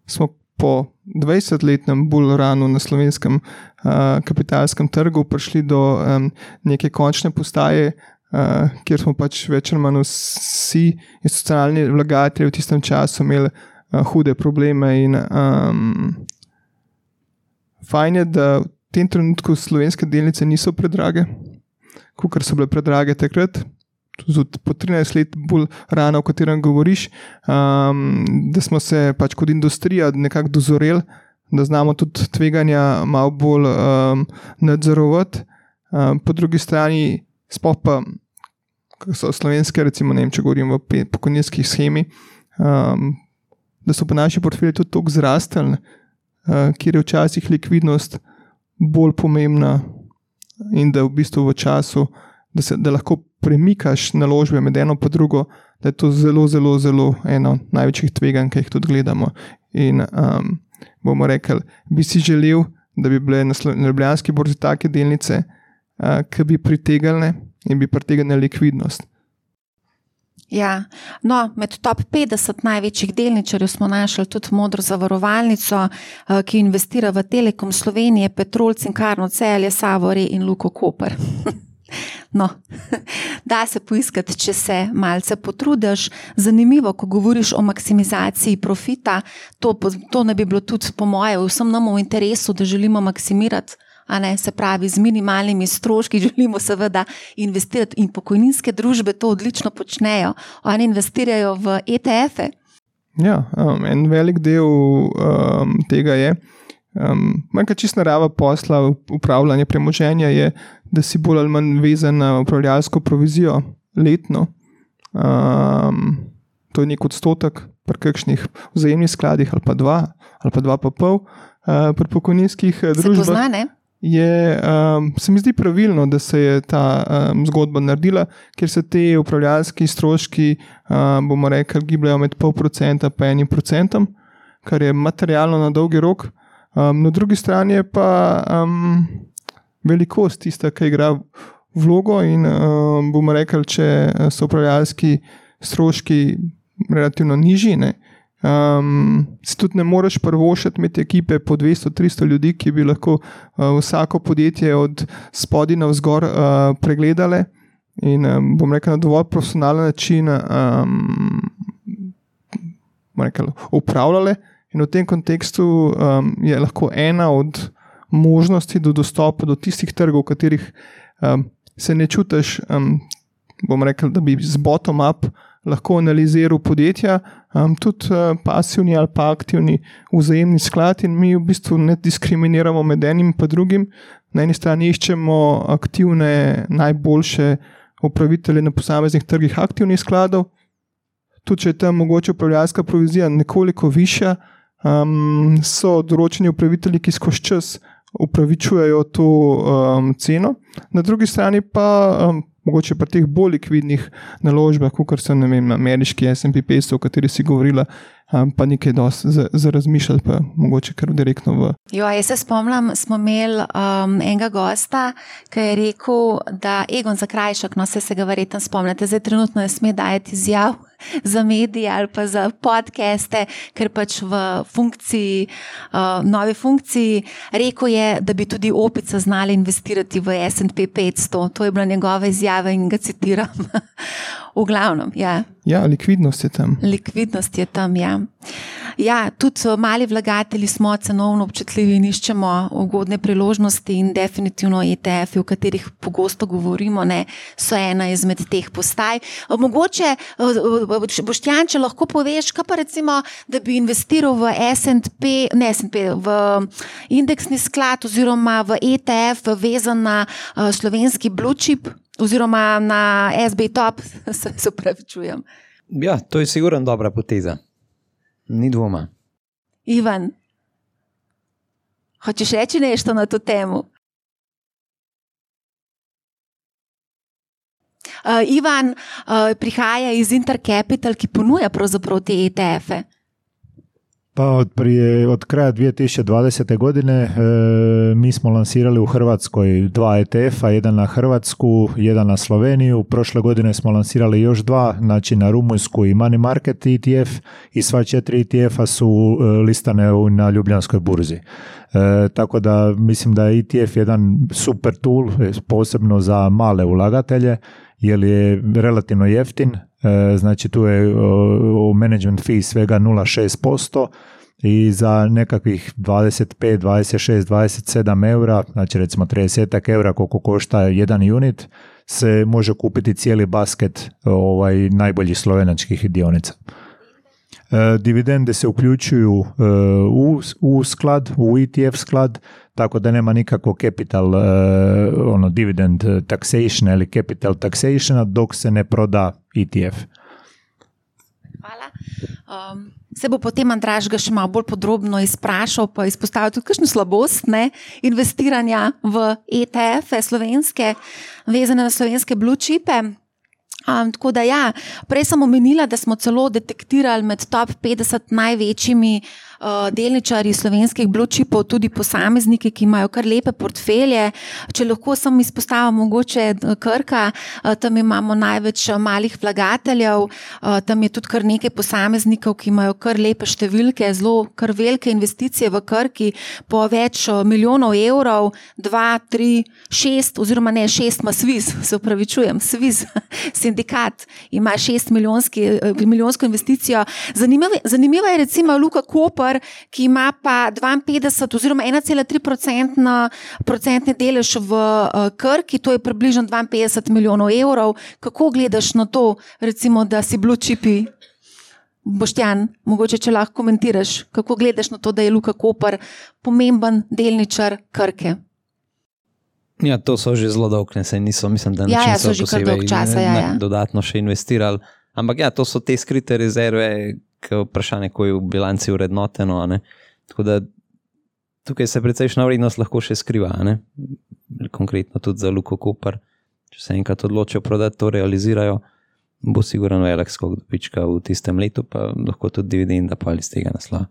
smo po dvajsetletnem bull runu na slovenskem uh, kapitalskem trgu prišli do um, neke končne postaje, Uh, kjer smo pač več ali manj vsi institucionalni vlagatelji v tistem času imeli uh, hude probleme in um, fajn je, da v tem trenutku slovenske delnice niso predrage, kakor so bile predrage takrat. tudi po trinajst let bolj rano, o katerem govoriš, um, da smo se pač kot industrija nekako dozoreli, da znamo tudi tveganja malo bolj um, nadzorovati. Um, po drugi strani, sploh pa, kako so slovenske, recimo, ne vem, če govorim o pokojninskih shemi, um, da so pa naši portfelji tudi toliko zrastali, uh, kjer je včasih likvidnost bolj pomembna in da v bistvu v času, da, se, da lahko premikaš naložbe med eno pa drugo, da je to zelo, zelo, zelo eno največjih tveganj, ki jih tudi gledamo. In um, bomo rekli, bi si želel, da bi bile na, na Ljubljanski borzi take delnice, uh, ki bi pritegnile in bi pritegnile likvidnost. Ja, no, med top petdeset največjih delničarjev smo našli tudi Modro zavarovalnico, ki investira v Telekom Slovenije, Petrol, Cinkarno Celje, Savore in Luko Koper. No, da se poiskati, če se malce potrudiš. Zanimivo, ko govoriš o maksimizaciji profita, to, to ne bi bilo tudi po moje vsem nam v interesu, da želimo maksimirati, a ne, se pravi, z minimalnimi stroški želimo seveda investirati in pokojninske družbe to odlično počnejo. Oni investirajo v E T F-e. Ja, um, en velik del um, tega je, um, manjka čist narava posla, upravljanje premoženja je, da si bolj ali manj vezan na upravljalsko provizijo letno. Um, to je nek odstotek pri kakšnih vzajemnih skladih ali pa dva, ali pa dva pa pol uh, pri pokojninskih družbah. Se pozna, ne? Je, um, se mi zdi pravilno, da se je ta um, zgodba naredila, ker se te upravljalski stroški, um, bomo rekli, gibljajo med pol procenta pa enim procentom, kar je materialno na dolgi rok. Um, na drugi strani je pa um, velikost tista, ki igra vlogo in um, bomo rekli, če so upravljalski stroški relativno nižji, ne, Um, si tudi ne moreš prvošati med ekipe po dvesto do tristo ljudi, ki bi lahko uh, vsako podjetje od spodaj navzgor uh, pregledale in um, bom rekel na dovolj profesionalen način um, rekel, upravljale. In v tem kontekstu um, je lahko ena od možnosti do dostopa do tistih trgov, v katerih um, se ne čutiš, um, bom rekel, da bi z bottom up lahko analiziral podjetja, um, tudi uh, pasivni ali pa aktivni vzajemni sklad in mi v bistvu ne diskriminiramo med enim pa drugim. Na eni strani iščemo aktivne, najboljše upravitelje na posameznih trgih aktivnih skladov, tudi če je tam mogoče upravljalska provizija nekoliko višja, um, so določeni upravitelji, ki skozi čas upravičujejo to um, ceno. Na drugi strani pa um, mogoče pri teh bolj likvidnih naložbah, kot so, ne vem, ameriški S and P petsto, o kateri si govorila, um, pa nekaj dosti za, za razmišljati, pa mogoče kar direktno v. Jo, jaz se spomnim, smo imeli um, enega gosta, ki je rekel, da Egon Zakrajšek, no se se ga verjetno spomnite, zdaj trenutno ne sme dajati izjav za medije ali pa za podcaste, ker pač v funkciji, uh, novi funkciji, rekel je, da bi tudi opica znala investirati v S and P petsto. To je bila njegova izjava in ga citiram. V glavnem, ja. Ja, likvidnost je tam. Likvidnost je tam, ja. Ja, tudi mali vlagatelji smo cenovno občutljivi in iščemo ugodne priložnosti in definitivno E T F-i, o katerih pogosto govorimo, ne, so ena izmed teh postaj. Mogoče, Boštjan, če lahko poveš, kaj pa recimo, da bi investiral v S and P, ne S and P, v indeksni sklad oziroma v E T F vezan na uh, slovenski blue chip oziroma na S B top, se, se upravičujem. Ja, to je sigurno dobra poteza. Ni dvoma. Ivan, hočeš reči nešto na to temu? Uh, Ivan uh, prihaja iz Intercapital, ki ponuja pravzaprav te E T F-e. Pa od, prije, od kraja dvije tisuće dvadesete godine e, mi smo lansirali u Hrvatskoj dva E T F-a, jedan na Hrvatsku, jedan na Sloveniju. Prošle godine smo lansirali još dva, znači na Rumunjsku i Money Market E T F i sva četiri E T F-a su e, listane u, na Ljubljanskoj burzi. E, tako da mislim da je E T F jedan super tool, posebno za male ulagatelje, jer je relativno jeftin. Znači tu je u management fee svega nula zarez šest posto i za nekakvih dvadeset pet, dvadeset šest, dvadeset sedam eura, znači recimo trideset eura koliko košta jedan unit, se može kupiti cijeli basket ovaj, najboljih slovenačkih dionica. E, dividende se uključuju e, u, u sklad, u E T F sklad, tako da nema nikakvo capital, e, ono, dividend taxation ili capital taxationa dok se ne proda E T F. Hvala. Um, se bo potem Andraž ga še malo bolj podrobno izprašal, pa izpostavil tudi kakšno slabost ne, investiranja v E T F-e slovenske, vezane na slovenske blue chipe. Um, tako da ja, prej sem omenila, da smo celo detektirali med top petdeset največjimi uh, delničarji slovenskih blue chipov tudi posamezniki, ki imajo kar lepe portfelje. Če lahko sem izpostavila mogoče Krka, uh, tam imamo največ malih vlagateljev, uh, tam je tudi kar nekaj posameznikov, ki imajo kar lepe številke, zelo kar velike investicije v Krki po več uh, milijonov evrov, dva, tri, šest oziroma ne, šest ima Sviz, se upravičujem, Sviz, sindikat ima šest milijonsko investicijo. Zanimiva, zanimiva je recimo Luka Koper, ki ima pa dvainpetdeset oziroma ena cela tri procentni delež v uh, Krki, to je približno dvainpetdeset milijonov evrov. Kako gledaš na to, recimo, da si blue chipi? Boštjan, mogoče če lahko komentiraš, kako gledaš na to, da je Luka Koper pomemben delničar Krke? Ja, to so že zelo dolg, ne, saj niso, mislim, da ja, ja, so že kar dolg časa, ja, ja. dodatno še investirali. Ampak ja, to so te skrite rezerve, ki vprašanje, ko je v bilanci urednoteno, ne. Tako da tukaj se precejšna vrednost lahko še skriva, ne. Konkretno tudi za Luko Koper, če se enkrat odločijo prodati, to realizirajo, bo sigurno velik skok dobička v tistem letu, pa lahko tudi dividenda pa ali z tega naslova.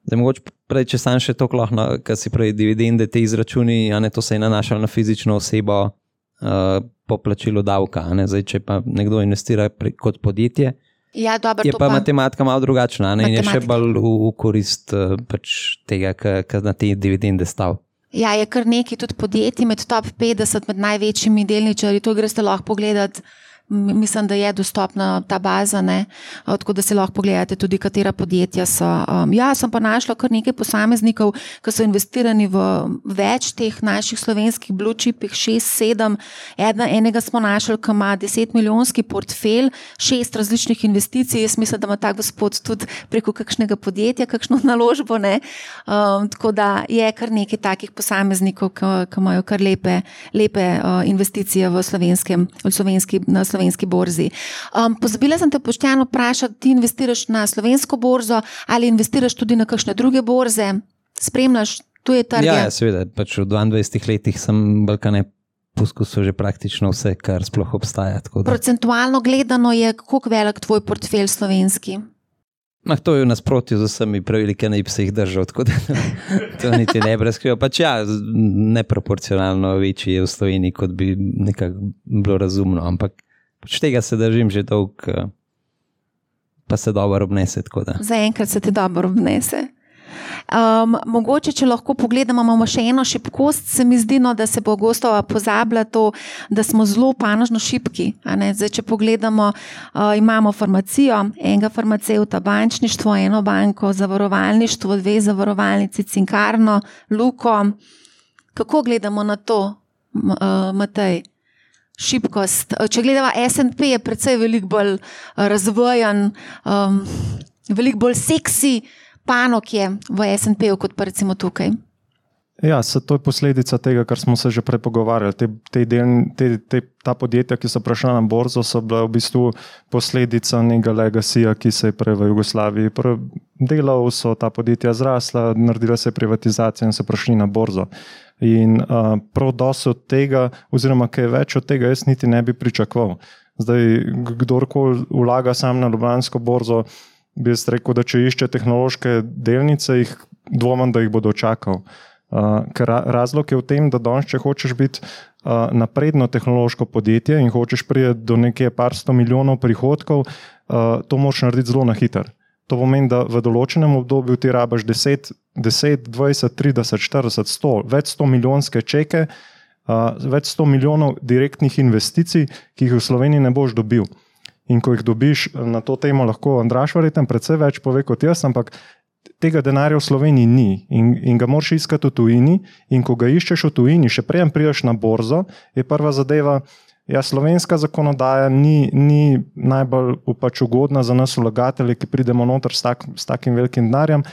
Zdaj, mogoče prej, če sam še toliko lahko, kar si prej dividende, te izračuni, a ne, to se je nanašalo na fizično osebo uh, po plačilu davka, a ne, zdaj, če pa nekdo investira pre, kot podjetje, ja, dober, je pa, pa matematika malo drugačna, a ne, in je še bolj v, v korist uh, pač tega, kar na te dividende stav. Ja, je kar nekaj tudi podjetij med top petdeset, med največjimi delničarji, to greste lahko pogledati. Mislim, da je dostopna ta baza, ne? Tako da si lahko pogledate tudi, katera podjetja so. Um, ja, sem pa našla kar nekaj posameznikov, ki so investirani v več teh naših slovenskih blue chipih, šest, sedem. Edna, enega smo našli, ki ima deset milijonski portfelj, šest različnih investicij. Jaz mislim, da ima ta gospod tudi preko kakšnega podjetja, kakšno naložbo, ne? Um, tako da je kar nekaj takih posameznikov, ki, ki imajo kar lepe, lepe uh, investicije v slovenskem, v slovenski, na slovenskem slovenski borzi. Um, pozabila sem te Boštjan vprašati, ti investiraš na slovensko borzo ali investiraš tudi na kakšne druge borze? Spremljaš tuje trge? Ja, ja, seveda. Pač v dvaindvajsetih letih sem Balkane poskusil že praktično vse, kar sploh obstaja. Tako da. Procentualno gledano je, koliko velik tvoj portfelj slovenski? Mah, to je v nasprotju z vsemi pravili, ki naj bi se jih držal, tako da to niti ne bi razkril. Pač ja, neproporcionalno večji je v Sloveniji, kot bi nekako bilo razumno, ampak pač tega se držim že dolg, pa se dobro obnese. Zaenkrat se ti dobro obnese. Um, mogoče, če lahko pogledamo, imamo še eno šibkost, se mi zdi, no, da se bo gostova pozabila to, da smo zelo panožno šibki. Zdaj, če pogledamo, uh, imamo farmacijo, enega farmacevta, bančništvo, eno banko, zavarovalništvo, dve zavarovalnici, Cinkarno, Luko. Kako gledamo na to, uh, Matej? Šibkost. Če gledamo S and P, je precej veliko bolj razvojen, um, veliko bolj seksi panog je v S and P-u kot pa recimo tukaj. Ja, to je posledica tega, kar smo se že prej pogovarjali. Te, te del, te, te, ta podjetja, ki so prišla na borzo, so bila v bistvu posledica nekega legacyja, ki se je prej v Jugoslaviji delal, so ta podjetja zrasla, naredila se je privatizacija in so prišli na borzo. In uh, prav dosti od tega, oziroma kaj več od tega, jaz niti ne bi pričakoval. Zdaj, kdorkoli vlaga sam na Ljubljansko borzo, bi jaz rekel, da če išče tehnološke delnice, jih dvomim, da jih bo dočakal. Uh, ker razlog je v tem, da danes, če hočeš biti uh, napredno tehnološko podjetje in hočeš priti do nekje par sto milijonov prihodkov, uh, to moraš narediti zelo na hiter. To pomeni, da v določenem obdobju ti rabaš deset, dvajset, trideset, štirideset, sto, več sto milijonske čeke, uh, več sto milijonov direktnih investicij, ki jih v Sloveniji ne boš dobil. In ko jih dobiš, na to temo lahko Andraž verjetno precej več pove kot jaz, ampak tega denarja v Sloveniji ni in, in ga moraš iskati v tujini, in ko ga iščeš v tujini, še preden prideš na borzo, je prva zadeva, ja, slovenska zakonodaja ni, ni najbolj pač ugodna za nas vlagatelje, ki pridemo noter s, tak, s takim velikim denarjem.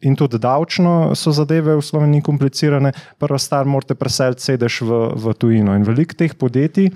In tudi davčno so zadeve v Sloveniji komplicirane. Prva stvar, morate preseliti sedež v, v tujino. In veliko teh podjetij,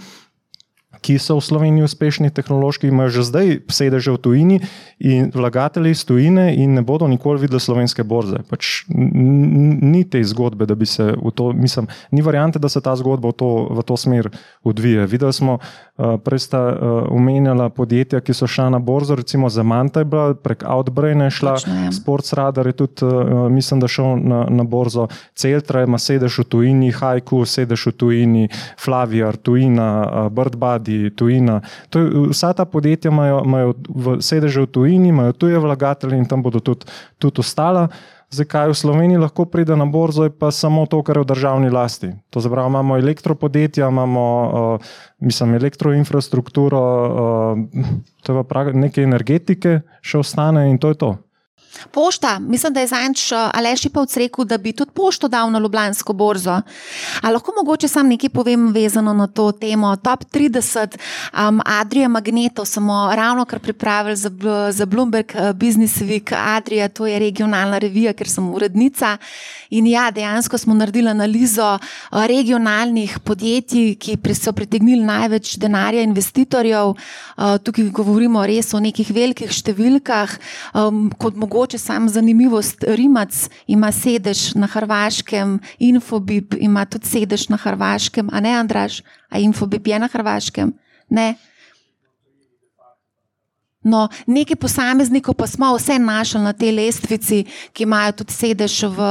ki so v Sloveniji uspešni tehnološki, imajo že zdaj sedeže v tujini in vlagatelji iz tujine in ne bodo nikoli videli slovenske borze. Pač ni te zgodbe, da bi se v to, mislim, ni variante, da se ta zgodba v to, v to smer odvije. Videli smo, prej sta omenjala podjetja, ki so šla na borzo, recimo Zemanta je bila, prek Outbrain je šla, Sportsradar je tudi, mislim, da šel na, na borzo, Celtra ima sedež v tujini, Haiku sedež v tujini, Flaviar, tujina, Birdbody, tujina. To, vsa ta podjetja imajo, imajo v sedeže v tujini, imajo tuje vlagatelje in tam bodo tudi, tudi ostala. Zdaj, kaj v Sloveniji lahko pride na borzo, je pa samo to, kar je v državni lasti. To zapravo imamo elektropodjetja, imamo uh, mislim, elektroinfrastrukturo, uh, to je pa neke energetike še ostane in to je to. Pošta, mislim, da je zanč Aleš Ipavc rekel, da bi tudi pošto dal na Ljubljansko borzo. A lahko mogoče sam nekaj povem vezano na to temo. Top trideset um, Adria Magneto smo ravno kar pripravili za, za Bloomberg Business Week. Adria, to je regionalna revija, ker sem urednica. In ja, dejansko smo naredili analizo regionalnih podjetij, ki so pritegnili največ denarja investitorjev. Uh, tukaj govorimo res o nekih velikih številkah, um, kot mogoče Če sam zanimivost, Rimac ima sedež na Hrvaškem, Infobip ima tudi sedež na Hrvaškem, a ne, Andraž? A Infobip je na Hrvaškem? Ne? No, nekaj posameznikov pa smo vse našli na tej lestvici, ki imajo tudi sedež v,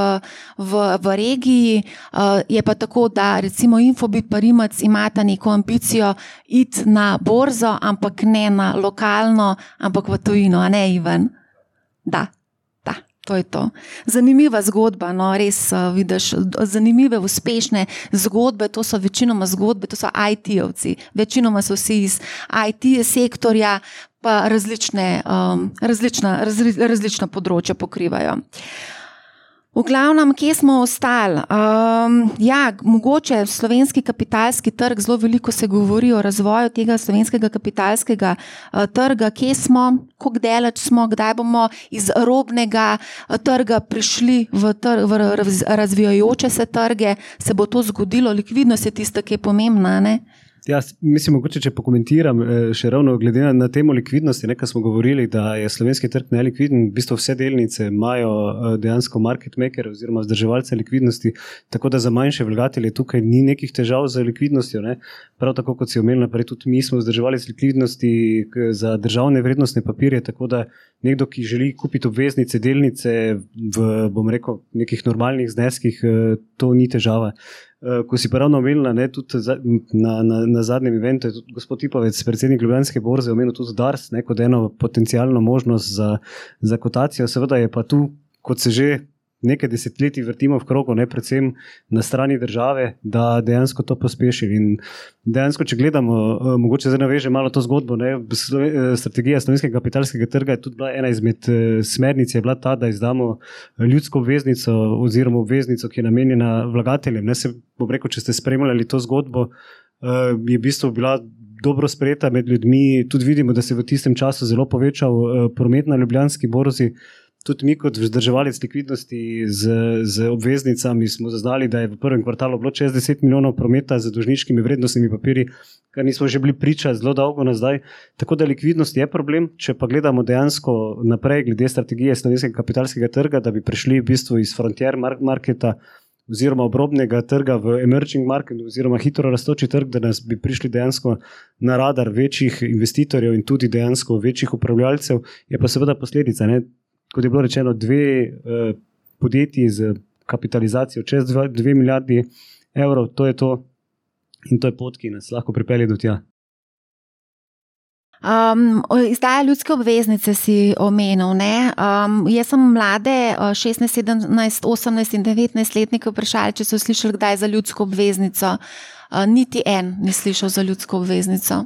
v, v regiji. Uh, je pa tako, da recimo Infobip pa Rimac imata neko ambicijo iti na borzo, ampak ne na lokalno, ampak v tujino, a ne, Ivan? Da. To je to. Zanimiva zgodba, no, res uh, vidiš, zanimive, uspešne zgodbe, to so večinoma zgodbe, to so I T-ovci, večinoma so vsi iz I T sektorja, pa različne, um, različna, razli, različna področja pokrivajo. V glavnem, kje smo ostali? Um, ja, mogoče slovenski kapitalski trg, zelo veliko se govori o razvoju tega slovenskega kapitalskega uh, trga. Kje smo, koliko daleč smo, kdaj bomo iz robnega uh, trga prišli v, trg, v razvijajoče se trge, se bo to zgodilo, likvidnost je tista, ki je pomembna, ne? Ja, mislim, mogoče, če pokomentiram še ravno glede na, na temo likvidnosti, nekaj smo govorili, da je slovenski trg nelikviden, v bistvu vse delnice imajo dejansko market maker oziroma vzdrževalce likvidnosti, tako da za manjše vlagatelje tukaj ni nekih težav z likvidnostjo, ne? Prav tako, kot si omenil naprej, tudi mi smo vzdrževali likvidnosti za državne vrednostne papirje, tako da nekdo, ki želi kupiti obveznice, delnice v, bom rekel, nekih normalnih zneskih, to ni težava. Ko si pa ravno omenila, ne, tudi na, na, na zadnjem eventu je tudi gospod Ipavec, predsednik Ljubljanske borze, omenil tudi Dars, ne, kot eno potencialno možnost za, za kotacijo. Seveda je pa tu, kot se že nekaj desetletij vrtimo v krogu, ne, predvsem na strani države, da dejansko to pospeši. In dejansko, če gledamo, mogoče zdaj naveže malo to zgodbo, ne, strategija slovenskega kapitalskega trga je tudi bila ena izmed smernic, je bila ta, da izdamo ljudsko obveznico oziroma obveznico, ki je namenjena vlagateljem. Ne, se bom rekel, če ste spremljali to zgodbo, je v bistvu bila dobro sprejeta med ljudmi. Tudi vidimo, da se je v tistem času zelo povečal promet na Ljubljanski borzi. Tudi mi kot vzdrževalec likvidnosti z, z obveznicami smo zaznali, da je v prvem kvartalu bilo čez deset milijonov prometa z dolžniškimi vrednostnimi papirji, kar nismo že bili priča zelo dolgo nazaj. Tako da likvidnost je problem, če pa gledamo dejansko naprej glede strategije slovenskega kapitalskega trga, da bi prišli v bistvu iz frontier marketa oziroma obrobnega trga v emerging market oziroma hitro rastoči trg, da nas bi prišli dejansko na radar večjih investitorjev in tudi dejansko večjih upravljalcev, je pa seveda posledica, ne? Kot je bilo rečeno, dve eh, podjetji z kapitalizacijo čez dve, dve milijardi evrov, to je to in to je pot, ki nas lahko pripelje do tja. Um, izdaja ljudske obveznice si omenil, ne? Um, jaz sem mlade šestnajst, sedemnajst, osemnajst in devetnajst letnike vprašali, če so slišali kdaj za ljudsko obveznico. Uh, niti en ni slišal za ljudsko obveznico.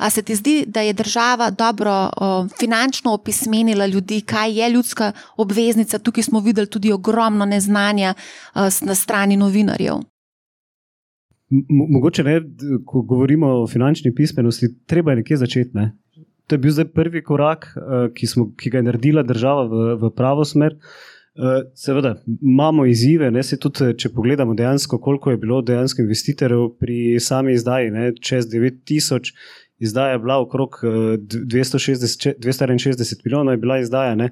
A se ti zdi, da je država dobro uh, finančno opismenila ljudi, kaj je ljudska obveznica? Tukaj smo videli tudi ogromno neznanja uh, na strani novinarjev. Mo- mogoče ne, ko govorimo o finančni pismenosti, treba je nekje začeti. Ne? To je bil zdaj prvi korak, uh, ki, smo, ki ga je naredila država v, v pravo smer. Uh, seveda, imamo izzive, ne, se tudi, če pogledamo dejansko, koliko je bilo dejansko investitorjev pri sami izdaji, ne, čez devet tisoč, izdaja je bila okrog dvesto šestdeset, dvesto enainšestdeset milijonov je bila izdaja, ne.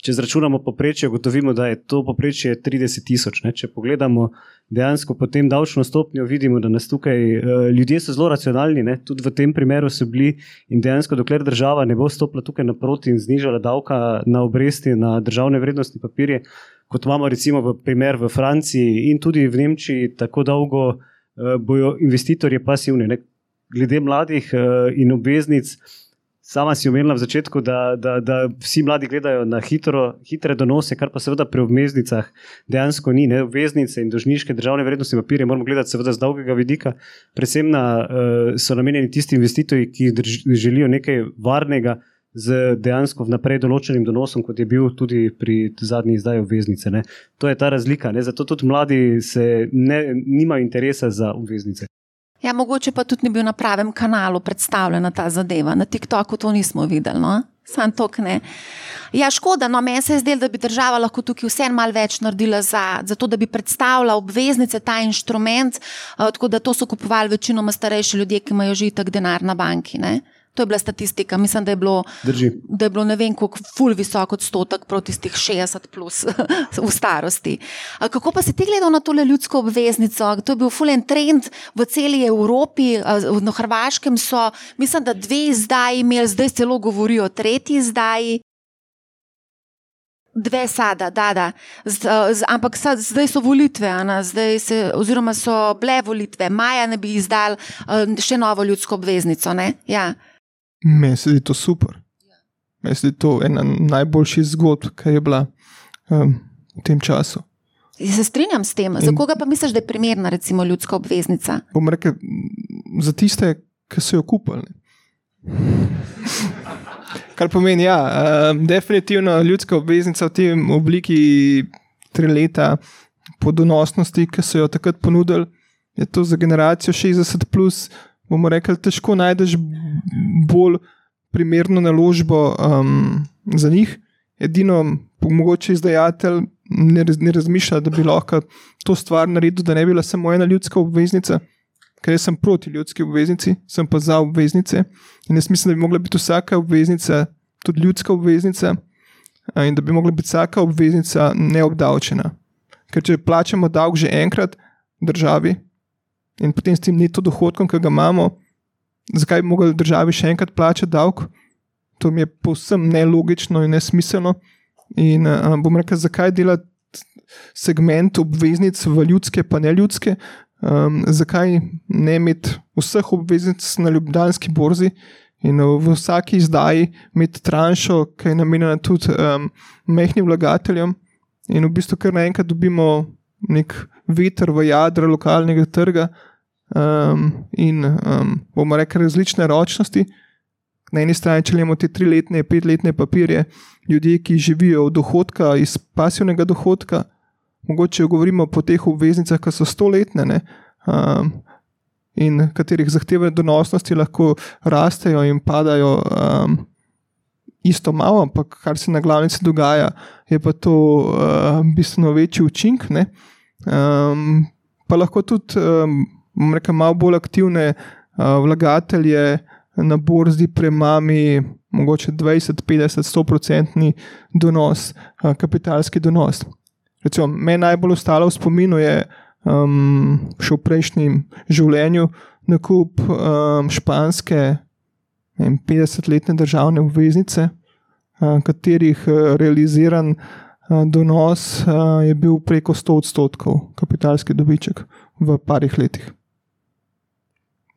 Če zračunamo poprečje, gotovimo, da je to poprečje trideset tisoč, ne. Če pogledamo dejansko potem davčno stopnjo, vidimo, da nas tukaj, uh, ljudje so zelo racionalni, ne, tudi v tem primeru so bili in dejansko, dokler država ne bo stopila tukaj naproti in znižala davka na obresti, na državne vrednostne papirje, kot imamo recimo v primer v Franciji in tudi v Nemčiji, tako dolgo uh, bojo investitorji pasivni, ne. Glede mladih uh, in obveznic, sama si omenila v začetku, da, da, da vsi mladi gledajo na hitro, hitre donose, kar pa seveda pri obveznicah dejansko ni. Ne? Obveznice in dolžniške državne vrednostne papirje moramo gledati seveda z dolgega vidika. Predvsem na, uh, so namenjeni tisti investitorji, ki drž, želijo nekaj varnega z dejansko vnaprej določenim donosom, kot je bil tudi pri zadnji izdaji obveznice. Ne? To je ta razlika. Ne? Zato tudi mladi se ne, nimajo interesa za obveznice. Ja, mogoče pa tudi ni bil na pravem kanalu predstavljena ta zadeva. Na TikToku to nismo videli, no? Sam tok ne. Ja, škoda, no, meni se je zdelo, da bi država lahko tukaj vseeno malo več naredila za, za to, da bi predstavila obveznice, ta inštrument, uh, tako da to so kupovali večinoma starejši ljudje, ki imajo že itak denar na banki, ne? To je bila statistika. Mislim, da je bilo, da je bilo ne vem koliko ful visok odstotek proti tistih šestdeset plus v starosti. A kako pa si ti gledal na tole ljudsko obveznico? To je bil fulen trend v celi Evropi, na Hrvaškem so, mislim, da dve izdaji imeli, zdaj celo govorijo o tretji izdaji. Dve sada, da, da. Z, z, ampak sad, zdaj so volitve, Ana, zdaj se, oziroma so bile volitve. Maja ne bi izdali uh, še novo ljudsko obveznico, ne? Ja. Meni se zdi to super. Meni se zdi to ena najboljših zgodb, ki je bila um, v tem času. Ja, se strinjam s tem. Za koga pa misliš, da je primerna recimo ljudska obveznica? Bom rekel, za tiste, ki so jo kupili. Kar pomeni, ja, um, definitivno ljudska obveznica v tem obliki tri leta po donosnosti, ki so jo takrat ponudili, je to za generacijo šestdeset plus, bomo rekli, težko najdeš bolj primerno naložbo um, za njih. Edino, mogoče izdajatelj ne, ne razmišlja, da bi lahko to stvar naredil, da ne bi bila samo ena ljudska obveznica, ker jaz sem proti ljudski obveznici, sem pa za obveznice in jaz mislim, da bi mogla biti vsaka obveznica tudi ljudska obveznica in da bi mogla biti vsaka obveznica neobdavčena. Ker če plačamo davek že enkrat državi, in potem s tem neto dohodkom, ki ga imamo, zakaj bi mogli državi še enkrat plačati davek? To mi je povsem nelogično in nesmiselno. In uh, bom rekel, zakaj delati segment obveznic v ljudske pa ne ljudske? Um, zakaj ne imeti vseh obveznic na Ljubljanski borzi in v vsaki izdaji imeti tranšo, ki je namenjena tudi um, majhnim vlagateljem in v bistvu kar naenkrat dobimo nek veter v jadra lokalnega trga um, in um, bomo rekli različne ročnosti. Na eni strani, če imamo te triletne, petletne papirje, ljudje, ki živijo od dohodka, iz pasivnega dohodka, mogoče govorimo po teh obveznicah, ki so stoletne, ne, um, in katerih zahteve donosnosti lahko rastejo in padajo um, isto malo, ampak kar se na glavnici dogaja, je pa to uh, bistveno večji učink, ne. Um, pa lahko tudi um, rekel, malo bolj aktivne uh, vlagatelje na borzi premami mogoče dvajset, petdeset, sto procentni donos, uh, kapitalski donos. Recimo, meni najbolj ostalo v spominu je um, še v prejšnjem življenju nakup um, španske petdesetletne državne obveznice, uh, katerih uh, realiziran uh, donos uh, je bil preko sto odstotkov kapitalski dobiček v parih letih.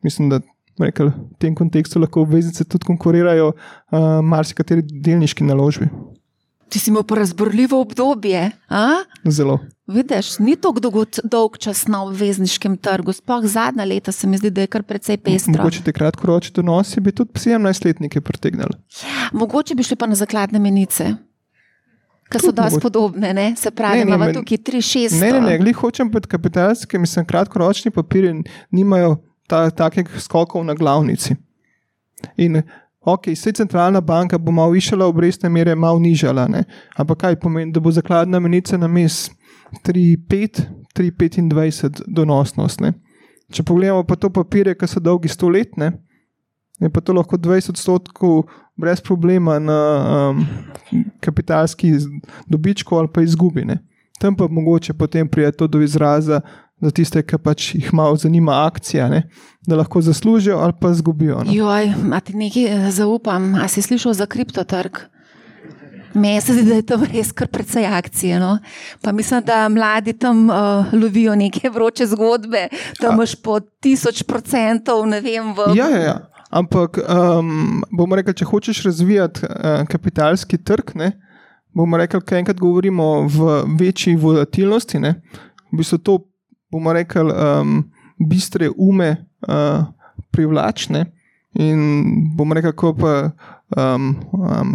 Mislim, da rekel, v tem kontekstu lahko obveznice tudi konkurirajo uh, marsikateri delniški naložbi. Ti si imel pa razborljivo obdobje, a? Zelo. Vidiš, ni tako dolgo, dolg čas na obvezniškem trgu, sploh zadnja leta se mi zdi, da je kar precej pestro. Mogoče te kratkoročni donosi bi tudi sedemnajstletnike pritegnali. Mogoče bi šli pa na zakladne menice, ki so dosti podobne, ne? Se pravi, imamo tukaj tri šest. Ne, ne, ne, glih hočem pod kapitalske, mislim, kratkoročni papiri nimajo ta, takih skokov na glavnici. In ok, vse centralna banka bo malo višala obrestne mere, malo nižala, ne? Ampak kaj pomeni, da bo zakladna menica na mes tri pet, tri petindvajset donosnost. Ne? Če pogledamo pa to papirje, ki so dolgi sto let, ne? Je pa to lahko dvajset odstotkov brez problema na um, kapitalski dobičku ali pa izgubi. Ne? Tam pa mogoče potem prije to do izraza za tiste, ki pač jih malo zanima akcija, ne? Da lahko zaslužijo ali pa zgubijo. No? Joj, a ti nekaj zaupam, a si slišal za kriptotrg? Meni se zdi, da je to res kar precej akcije. No? Pa mislim, da mladi tam uh, lovijo neke vroče zgodbe, da imaš po tisoč procentov, ne vem. V... Ja, ja, ja. Ampak um, bomo rekli, če hočeš razvijati uh, kapitalski trg, ne, bomo rekli, kaj enkrat govorimo v večji volatilnosti, ne, v bistvu to bomo rekli um, bistre ume uh, privlačne in bomo rekli, ko pa Um, um,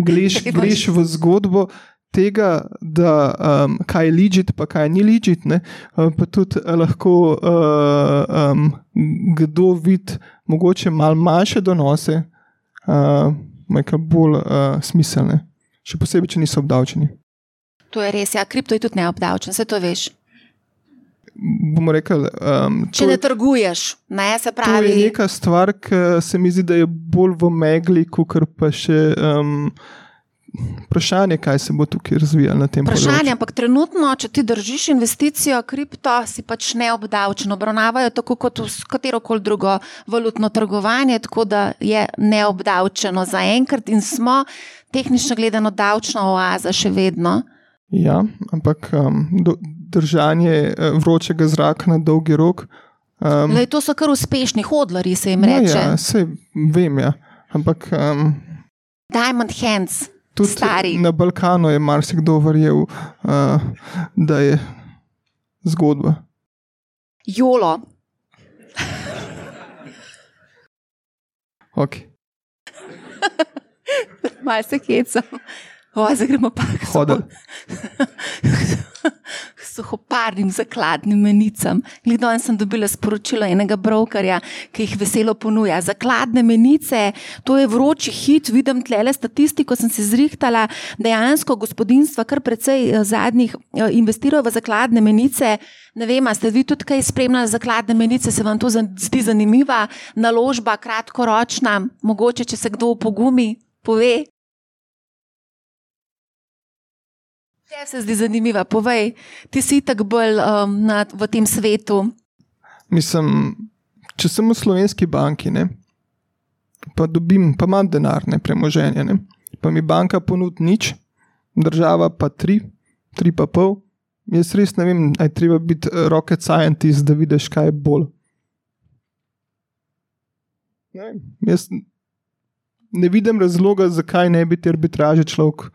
gleš, gleš v zgodbo tega, da um, kaj je legit, pa kaj ni legit, ne? Pa tudi lahko uh, um, kdo vidi mogoče malo manjše donose, uh, nekaj bolj uh, smiselne, še posebej, če niso obdavčeni. To je res, ja, kripto je tudi neobdavčen, se to veš. Bomo rekli, um, če ne trguješ, ne, se pravi. To je neka stvar, ki se mi zdi, da je bolj v megli, kakor pa še um, vprašanje, kaj se bo tukaj razvijalo na tem področju. Vprašanje, ampak trenutno, če ti držiš investicijo kripto, si pač neobdavčen. Obravnavajo tako kot katerokoli drugo valutno trgovanje, tako da je neobdavčeno zaenkrat in smo tehnično gledano davčna oaza še vedno. Ja, ampak um, do, držanje vročega zraka na dolgi rok. Um, Lej, to so kar uspešni hodlari, se jim reče. Ja, se vem, ja. Ampak um, Diamond Hands, tudi stari. Na Balkanu je marsikdo verjel, uh, da je zgodba. Jolo. Ok. Malo se hecam. O, zdaj gremo pa k Hodel. suhoparnim zakladnim menicam. Danes sem dobila sporočilo enega brokerja, ki jih veselo ponuja. Zakladne menice, to je vroči hit, vidim tlele statistiko, sem se zrihtala, dejansko gospodinstva kar precej zadnjih investirajo v zakladne menice. Ne vem, a ste vi tudi kaj spremljali zakladne menice, se vam to zdi zanimiva naložba, kratkoročna, mogoče, če se kdo opogumi, pove. Te se zdi zanimiva, povej, ti si tak bolj um, na, v tem svetu. Mislim, če sem v slovenski banki, ne, pa dobim, pa imam denar, ne, premoženje, ne, pa mi banka ponudi nič, država pa tri, tri pa pol, jaz res ne vem, aj treba biti rocket scientist, da vidiš, kaj je bolj. Ne, jaz ne vidim razloga, zakaj ne bi te arbitraže človek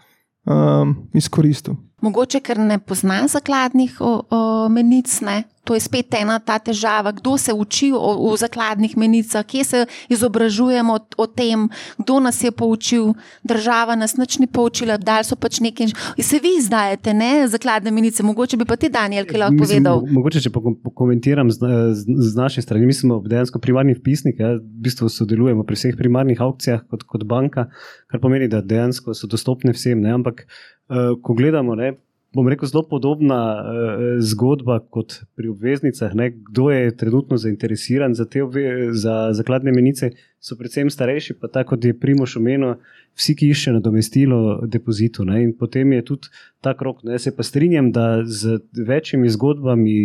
Um, izkoristil. Mogoče, ker ne pozna zakladnih o, o, menic, ne? To je spet ena ta težava. Kdo se uči o, o zakladnih menicah, kje se izobražujemo o, o tem, kdo nas je poučil, država nas nič ni poučila, dali so pač nekaj. Se vi izdajate, ne, zakladne menice, mogoče bi pa ti, Daniel, ki lahko Mislim, povedal. Mogoče, če pokomentiram z, z, z naše strani, mi smo dejansko primarni vpisnik, ja, v bistvu sodelujemo pri vseh primarnih aukcijah kot, kot banka, kar pomeni, da dejansko so dostopne vsem, ne, ampak uh, ko gledamo, ne, bom rekel, zelo podobna uh, zgodba kot pri obveznicah. Ne? Kdo je trenutno zainteresiran za te obve, za zakladne menice, so predvsem starejši, pa tako, kot je Primož omenil, vsi, ki iščejo nadomestilo depozitu. Ne? In potem je tudi ta krog. Ne? Se pa strinjam, da z večjimi zgodbami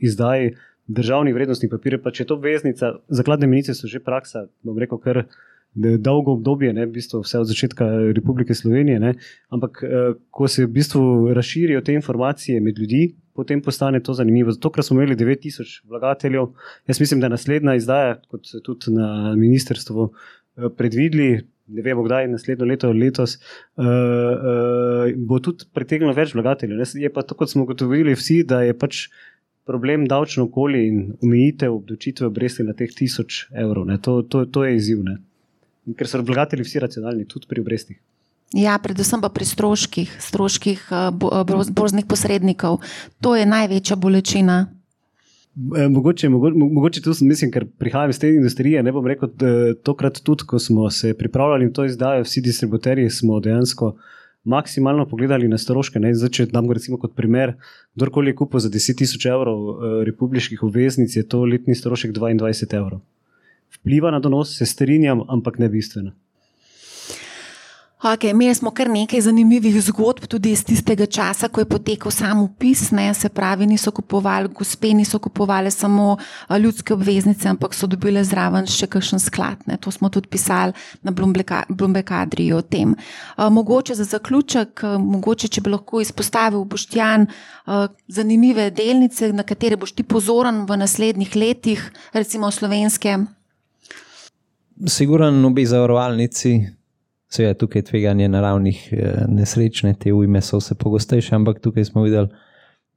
izdaji državnih vrednostnih papirjev, pa če je to obveznica, zakladne menice so že praksa, bom rekel, kar dolgo obdobje, ne, v bistvu vse od začetka Republike Slovenije, ne, ampak eh, ko se v bistvu razširijo te informacije med ljudi, potem postane to zanimivo. Zato, ker smo imeli devet tisoč vlagateljev, jaz mislim, da naslednja izdaja, kot se tudi na ministrstvu eh, predvideli, ne vemo kdaj, naslednjo leto, letos, uh, uh, bo tudi pritegnilo več vlagateljev. Je pa to, kot smo ugotovili vsi, da je pač problem davčno okolje in omejitev obdavčitve obresti na teh tisoč evrov. Ne. To, to, to je izziv. Ne. Ker so vlagatelji vsi racionalni, tudi pri obrestih. Ja, predvsem pa pri stroških, stroških borznih posrednikov. To je največja bolečina. Mogoče, mogoče, mogoče tu mislim, ker prihajam iz te industrije, ne bom rekel, tokrat tudi, ko smo se pripravljali in to izdajo, vsi distributerji smo dejansko maksimalno pogledali na stroške. Ne? Zdaj, če dam recimo kot primer, kdorkoli je kupil za deset tisoč evrov republiških obveznic, je to letni strošek dvaindvajset evrov. Vpliva na donos, se strinjam, ampak ne bistveno. Okay, imeli smo kar nekaj zanimivih zgodb tudi iz tistega časa, ko je potekal sam upis, ne, se pravi, niso kupovali, gospe niso kupovali samo ljudske obveznice, ampak so dobile zraven še kakšen sklad. Ne. To smo tudi pisali na Bloomberg Adriji o tem. Uh, mogoče za zaključek, uh, mogoče, če bi lahko izpostavil, Boštjan, uh, zanimive delnice, na katere boš ti pozoren v naslednjih letih, recimo slovenske. Siguran obe zavarovalnici. Seveda tukaj tveganje naravnih nesrečne, te ujme so vse pogostejše, ampak tukaj smo videli,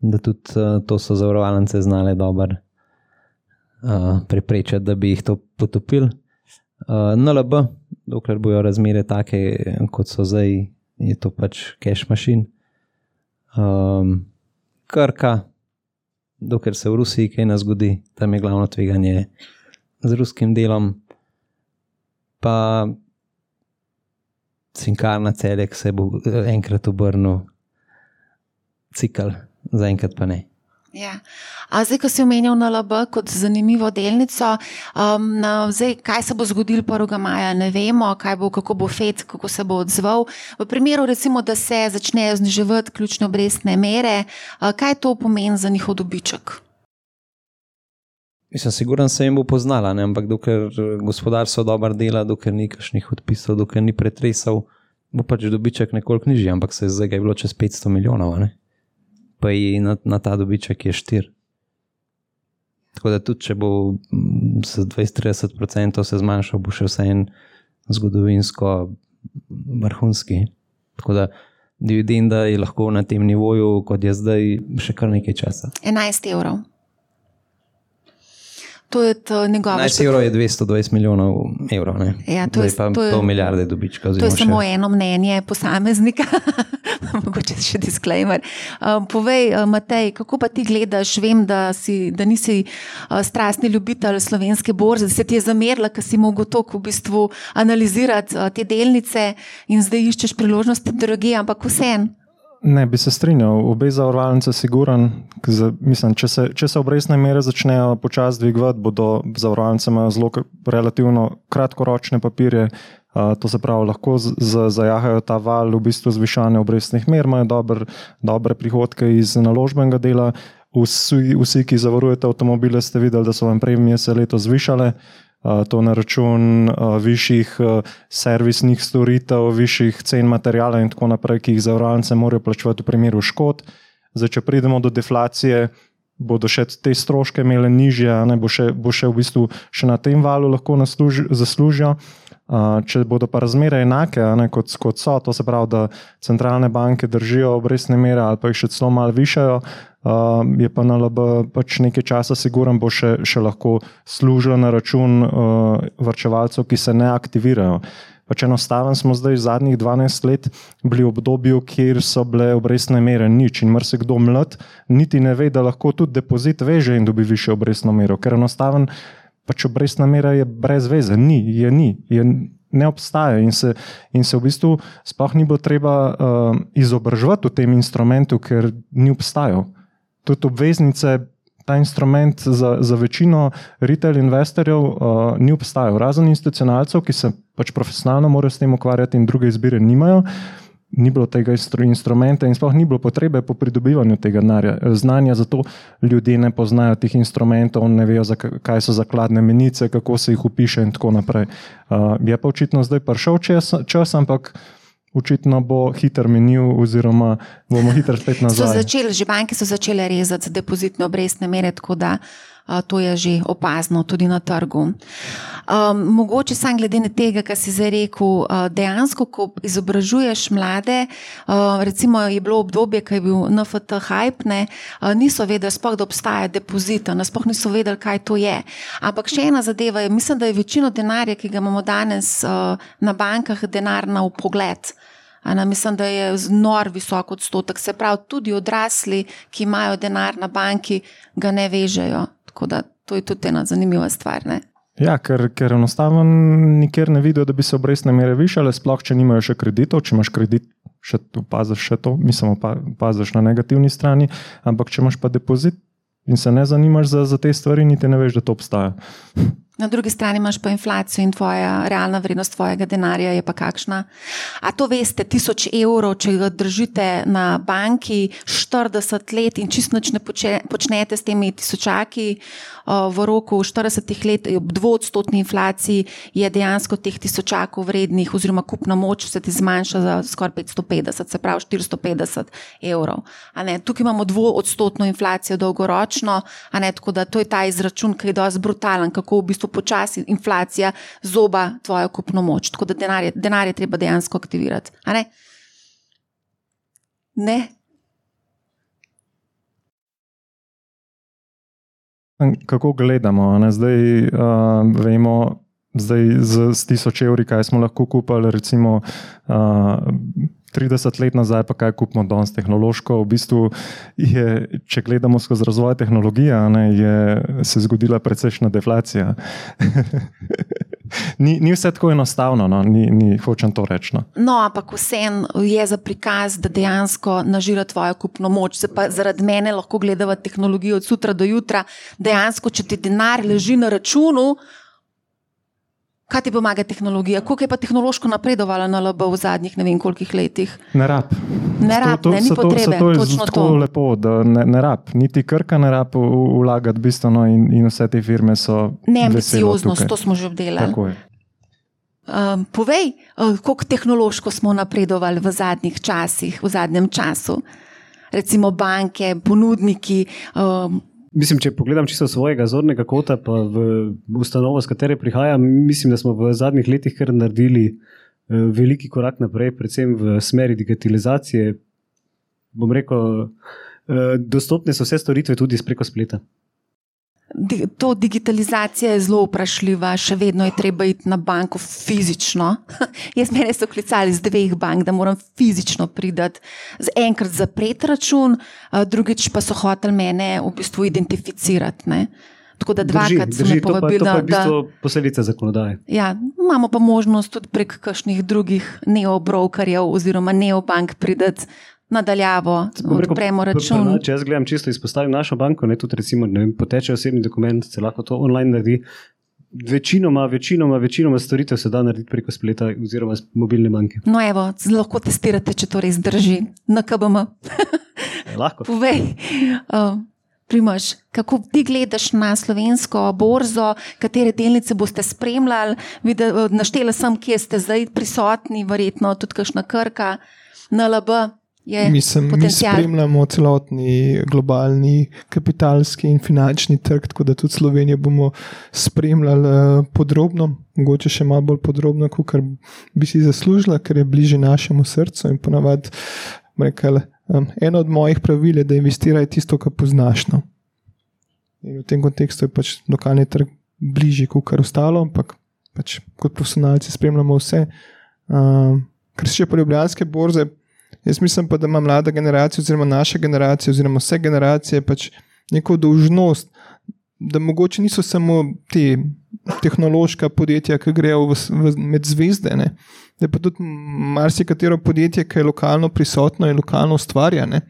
da tudi to so zavarovalnice znale dobro uh, preprečati, da bi jih to potopili. Uh, N L B, dokler bojo razmere take, kot so zdaj, je to pač cash machine. Um, Krka, dokler se v Rusiji kaj ne zgodi, tam je glavno tveganje z ruskim delom, pa Cinkarna Celek se bo enkrat obrnil cikl, zaenkrat pa ne. Ja. A zdaj, ko si omenjal N L B kot zanimivo delnico, um, na, zdaj, kaj se bo zgodilo prvega maja, ne vemo, kaj bo, kako bo Fed, kako se bo odzval. V primeru, recimo, da se začnejo zniževati ključne obrestne mere, uh, kaj to pomeni za njihov dobiček? Mislim, siguran se jim bo poznala, ne? Ampak dokler gospodarstvo dobro dela, dokler ni kakšnih odpisov, dokler ni pretresal, bo pač dobiček nekoliko nižji, ampak se zdaj je bilo čez petsto milijonov, ne? Pa je na, na ta dobiček je štir. Tako da tudi, če bo z dvajset do trideset procentov se zmanjšal, bo še vse en zgodovinsko vrhunski. Tako da dividenda je lahko na tem nivoju, kot je zdaj, še kar nekaj časa. enajst evrov. To je to njegova... enajst evrov je dvesto dvajset milijonov evrov, ne? Ja, to je, Zdaj pa to je, pol milijarde dobička. To je samo še eno mnenje posameznika. Mogoče še disclaimer. Um, povej, Matej, kako pa ti gledaš? Vem, da, si, da nisi uh, strastni ljubitelj slovenske borze, da se ti je zamerila, ker si mogel toliko v bistvu analizirati uh, te delnice in zdaj iščeš priložnosti drugje, ampak vseeno. Ne, bi se strinjal. Obe zavarovalnice siguran, mislim, če se, če se obrestne mere začnejo počasi dvigovati, bodo zavarovalnice imajo zelo relativno kratkoročne papirje, uh, to se pravi, lahko z, z, zajahajo ta val v bistvu zvišanja obrestnih mer, imajo dober, dobre prihodke iz naložbenega dela. Vsi, vsi, ki zavarujete avtomobile, ste videli, da so vam premije se letos zvišale. Uh, to na račun uh, višjih uh, servisnih storitev, višjih cen materijala in tako naprej, ki jih zavarovalnice morajo plačevati v primeru škod. Zdaj, če pridemo do deflacije, bodo še te stroške imele nižje, ne, bo, še, bo še v bistvu še na tem valu lahko nasluži, zaslužijo. Uh, če bodo pa razmere enake, ne, kot, kot so, to se pravi, da centralne banke držijo obrestne mere ali pa jih še celo malo višajo, uh, je pa N L B pač nekaj časa siguran, bo še, še lahko služilo na račun uh, varčevalcev, ki se ne aktivirajo. Pač enostaven smo zdaj zadnjih dvanajst let bili v obdobju, kjer so bile obrestne mere nič in marsikdo mlad niti ne ve, da lahko tudi depozit veže in dobi višjo obrestno mero, ker enostaven pač obrestna mera je brez veze, ni, je ni, je ne obstaja in se, in se v bistvu sploh ni bilo treba uh, izobraževati v tem instrumentu, ker ni obstajal. Tudi obveznice, ta instrument za, za večino retail investorjev uh, ni obstajal, razen institucionalcev, ki se pač profesionalno morajo s tem ukvarjati in druge izbire nimajo. Ni bilo tega instrumenta in sploh ni bilo potrebe po pridobivanju tega znanja, zato ljudje ne poznajo teh instrumentov, ne vejo, kaj so zakladne menice, kako se jih upiše in tako naprej. Uh, je pa očitno zdaj prišel čas, čas, ampak očitno bo hiter menil oziroma bomo hiter spet nazaj. So začeli, že banke so začele rezati depozitne obrestne mere, tako da uh, to je že opazno tudi na trgu. Um, mogoče sam glede na tega, kar si zdaj rekel, uh, dejansko, ko izobražuješ mlade, uh, recimo je bilo obdobje, ko je bil N F T hype, ne, uh, niso vedeli sploh, da obstaja depozit, sploh niso vedeli, kaj to je. Ampak še ena zadeva je, mislim, da je večino denarja, ki ga imamo danes uh, na bankah, denar na vpogled. Ana, mislim, da je nor visok odstotek, se pravi, tudi odrasli, ki imajo denar na banki, ga ne vežejo. Tako da to je tudi ena zanimiva stvar, ne? Ja, ker, ker enostavno nikjer ne vidijo, da bi se obrestne mere višale, sploh če nimajo še kreditov, če imaš kredit, še opaziš še to, mislim, opaziš na negativni strani, ampak če imaš pa depozit in se ne zanimaš za, za te stvari, niti ne veš, da to obstaja. Na drugi strani imaš pa inflacijo in tvoja realna vrednost tvojega denarja je pa kakšna. A to veste, tisoč evrov, če ga držite na banki štirideset let in čisto nič ne počnete s temi tisočaki, v roku štiridesetih let ob dvoodstotni inflaciji je dejansko teh tisočakov vrednih oziroma kupna moč se ti zmanjša za skoraj petsto petdeset, se pravi štiristo petdeset evrov. A ne, tukaj imamo dvoodstotno inflacijo dolgoročno, a ne, tako da to je ta izračun, ki je dosti brutalen, kako v bistvu počasi inflacija zoba tvojo kupno moč. Tako da denar je, denar je treba dejansko aktivirati. A ne? Ne? Kako gledamo? Ne? Zdaj uh, vemo, zdaj z, z tisoč evri, kaj smo lahko kupili, recimo uh, trideset let nazaj, pa kaj kupimo danes tehnološko. V bistvu je, če gledamo skozi razvoj tehnologije, ne, je se zgodila precejšnja deflacija. Ni, ni vse tako enostavno, no? ni, ni, hočem to reči. No, no ampak vseeno je za prikaz, da dejansko nažira tvojo kupno moč. Se pa zaradi mene lahko gledava tehnologijo od sutra do jutra. Dejansko, če ti denar leži na računu, kaj ti pomaga tehnologija? Koliko je pa tehnološko napredovala na L B v zadnjih ne vem kolikih letih? Ne rab. Ne rab, to, to, ne, ni potrebe. To je točno tako to. lepo, da ne, ne rab. Niti Krka ne rab vlagati bistveno in, in vse te firme so neambicioznost, to smo že obdelali. Tako je. Um, povej, uh, koliko tehnološko smo napredovali v zadnjih časih, v zadnjem času. Recimo banke, ponudniki. Um, Mislim, če pogledam čisto svojega zornega kota, pa v ustanovo, z katere prihajam, mislim, da smo v zadnjih letih kar naredili uh, veliki korak naprej, predvsem v smeri digitalizacije. Bom rekel, uh, dostopne so vse storitve tudi preko spleta. To digitalizacija je zelo vprašljiva, še vedno je treba iti na banko fizično. Jaz mene so klicali z dveh bank, da moram fizično pridati, z enkrat zapreti račun, drugič pa so hoteli mene v bistvu identificirati. Ne? Tako da dvakrat so me povabili, da... To pa je v bistvu posledica zakonodaje. Ja, imamo pa možnost tudi prek kakšnih drugih neobrokerjev oziroma neobank pridati nadaljavo, odpremo račun. Če jaz gledam čisto izpostavim našo banko, ne, tudi recimo, ne vem, poteče osebni dokument, se lahko to online naredi. Večinoma, večinoma, večinoma storitev se da narediti preko spleta oziroma mobilne banke. No evo, lahko testirate, če to res drži. Na K B M. Lahko. Povej, uh, Primož, kako ti gledaš na slovensko borzo, katere delnice boste spremljali? Videl, naštela sem, kje ste zdaj prisotni, verjetno tudi kakšna Krka, N L B. Mislim, mi spremljamo celotni globalni kapitalski in finančni trg, tako da tudi Slovenijo bomo spremljali podrobno, mogoče še malo bolj podrobno, kot bi si zaslužila, ker je bliže našemu srcu in ponavadi rekel, um, eno od mojih pravil je, da investiraj tisto, kar poznaš. No. In v tem kontekstu je pač lokalni trg bližje kot kar ostalo, ampak pač kot profesionalci spremljamo vse. Um, kar se še pa ljubljanske borze, jaz mislim pa, da ima mlada generacija oziroma naša generacija oziroma vse generacije pač neko dolžnost, da mogoče niso samo te tehnološka podjetja, ki grejo v, v, med zvezde, ne? Da je pa tudi marsikatero podjetje, ki je lokalno prisotno in lokalno ustvarja. Ne?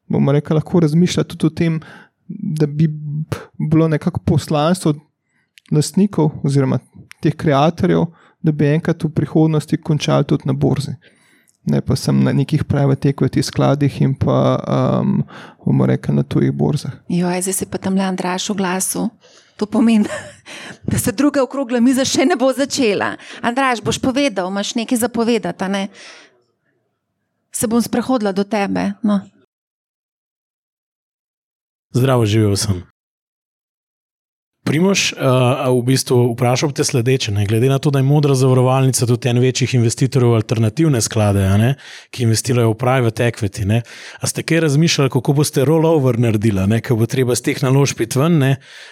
Bomo rekli, lahko razmišlja tudi o tem, da bi bilo nekako poslanstvo lastnikov oziroma teh kreatorjev, da bi enkrat v prihodnosti končali tudi na borzi. Ne pa sem na nekih private equity skladih in pa um, bomo rekli na tujih borzah. Joj, zdaj se pa tam le Andraž v glasu. To pomeni, da se druga okrogla miza še ne bo začela. Andraž, boš povedal, imaš nekaj zapovedati, a ne? Se bom sprehodila do tebe. No. Zdravo, živel sem. Primož, uh, v bistvu vprašal te sledeče, ne? Glede na to, da je Modra zavarovalnica tudi en večjih investitorjev v alternativne sklade, ne? Ki investirajo v private equity, ne? A ste kaj razmišljali, kako boste rollover naredili, ne? Ko bo treba z teh naložb iti ven, ne?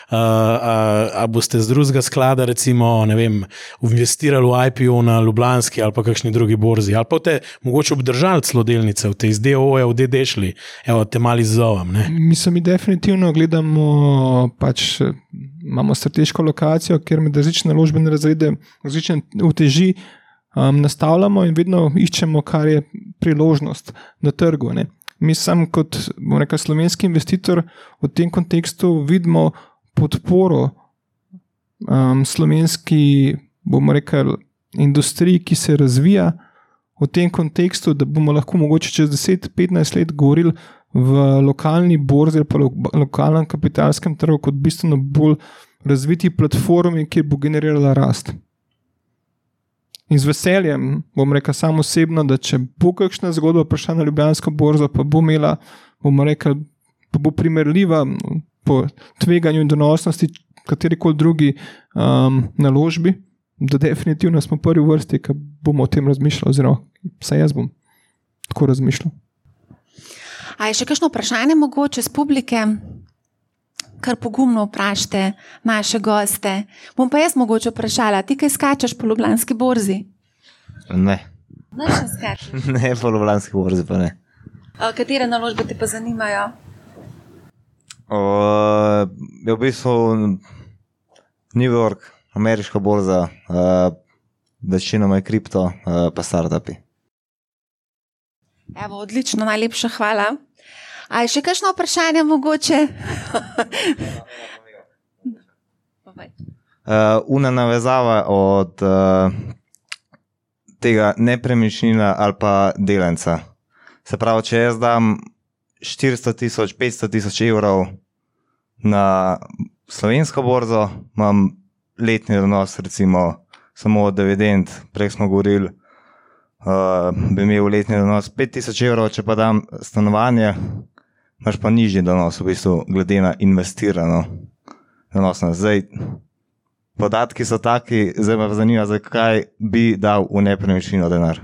Uh, a, a boste z drugega sklada recimo, ne vem, investirali v I P O na Ljubljanski ali pa kakšni drugi borzi, ali pa te mogoče obdržali celo delnice, v te iz D O O-ja v D D šli, evo, te mali zzovam, ne? Mislim, mi definitivno gledamo pač imamo strateško lokacijo, kjer med različne naložbene razrede, različne uteži um, nastavljamo in vedno iščemo, kar je priložnost na trgu. Ne. Mi sam kot rekel, slovenski investitor v tem kontekstu vidimo podporo um, slovenski, bomo rekel, industriji, ki se razvija v tem kontekstu, da bomo lahko mogoče čez deset do petnajst let govorili v lokalni borzi ali pa lo, lokalnem kapitalskem trgu kot bistveno bolj razviti platformi, kjer bo generirala rast. In z veseljem bom rekel sam osebno, da če bo kakšna zgodba prišla na Ljubljansko borzo, pa bo imela, bomo rekel, pa bo primerljiva po tveganju in donosnosti katerikoli drugi um, naložbi, da definitivno smo prvi v vrsti, ki bomo o tem razmišljali, oziroma vsaj jaz bom tako razmišljal. A je še kakšno vprašanje mogoče z publike? Kar pogumno vprašajte naše goste. Bom pa jaz mogoče vprašala, ti kaj skačeš po Ljubljanski borzi? Ne. Ne še skačeš? Ne, po Ljubljanski borzi pa ne. A, katere naložbe te pa zanimajo? O, je v bistvu New York, ameriška borza, uh, večinoma je kripto, uh, pa startupi. Evo, odlično, najlepša hvala. A je še kakšno vprašanje mogoče? uh, una navezava od uh, tega nepremičnina ali pa delenca. Se pravi, če jaz dam štiristo tisoč, petsto tisoč evrov na slovensko borzo, imam letni donos recimo samo od dividend, prej smo govorili, Uh, bi imel letni donos pet tisoč evrov, če pa dam stanovanje, imaš pa nižji donos, v bistvu, glede na investirano donosnost. Zdaj, podatki so taki, zdaj me zanima, zakaj bi dal v nepremičnino denar.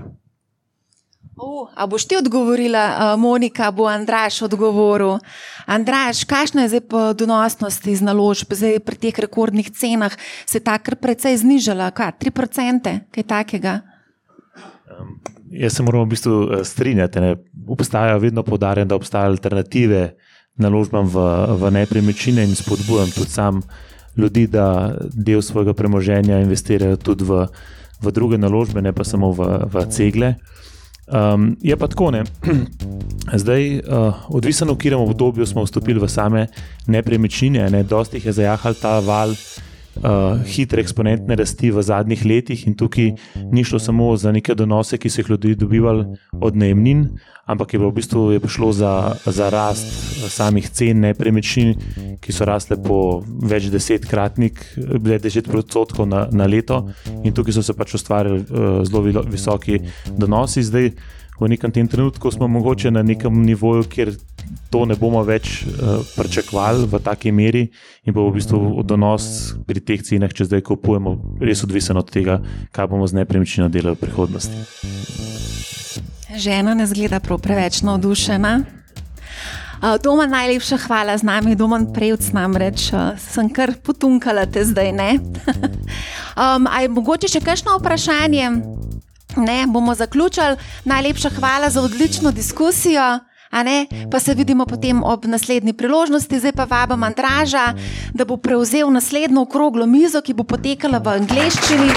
Uh, a boš ti odgovorila, uh, Monika, bo Andraž odgovoril. Andraž, kakšna je zdaj po donosnosti iz naložb, zdaj pri teh rekordnih cenah se je ta kar precej znižala, kaj, tri procente, kaj takega? Um, jaz se moram v bistvu strinjati, ne. Obstajajo, vedno poudarjam, da obstajajo alternative naložbam v, v nepremičnine in spodbujam tudi sam ljudi, da del svojega premoženja investirajo tudi v, v druge naložbe, ne pa samo v, v cegle. Um, je pa tako, ne. Zdaj, uh, odvisno v katerem obdobju smo vstopili v same nepremičnine, ne, dosti jih je zajahal ta val Uh, hitre eksponentne rasti v zadnjih letih in tukaj ni šlo samo za neke donose, ki so jih ljudi dobivali od najemnin, ampak je bilo v bistvu je prišlo za, za rast samih cen nepremičnin, ki so rasle po več desetkratnik, deset odstotkov na, na leto in tukaj so se pač ustvarjali uh, zelo visoki donosi. Zdaj v nekem tem trenutku smo mogoče na nekem nivoju, kjer to ne bomo več uh, pričakovali v taki meri in bo v bistvu donos pri teh cenah, če zdaj kupujemo, res odvisen od tega, kaj bomo z nepremičnino delali v prihodnosti. Žena ne zgleda prav preveč navdušena. Uh, Domen, najlepša hvala z nami, Domen Prevc namreč, uh, sem kar potunkala te zdaj, ne? um, a je mogoče še kakšno vprašanje? Ne, bomo zaključili. Najlepša hvala za odlično diskusijo, a ne? Pa se vidimo potem ob naslednji priložnosti. Zdaj pa vabim Andraža, da bo prevzel naslednjo okroglo mizo, ki bo potekala v angleščini.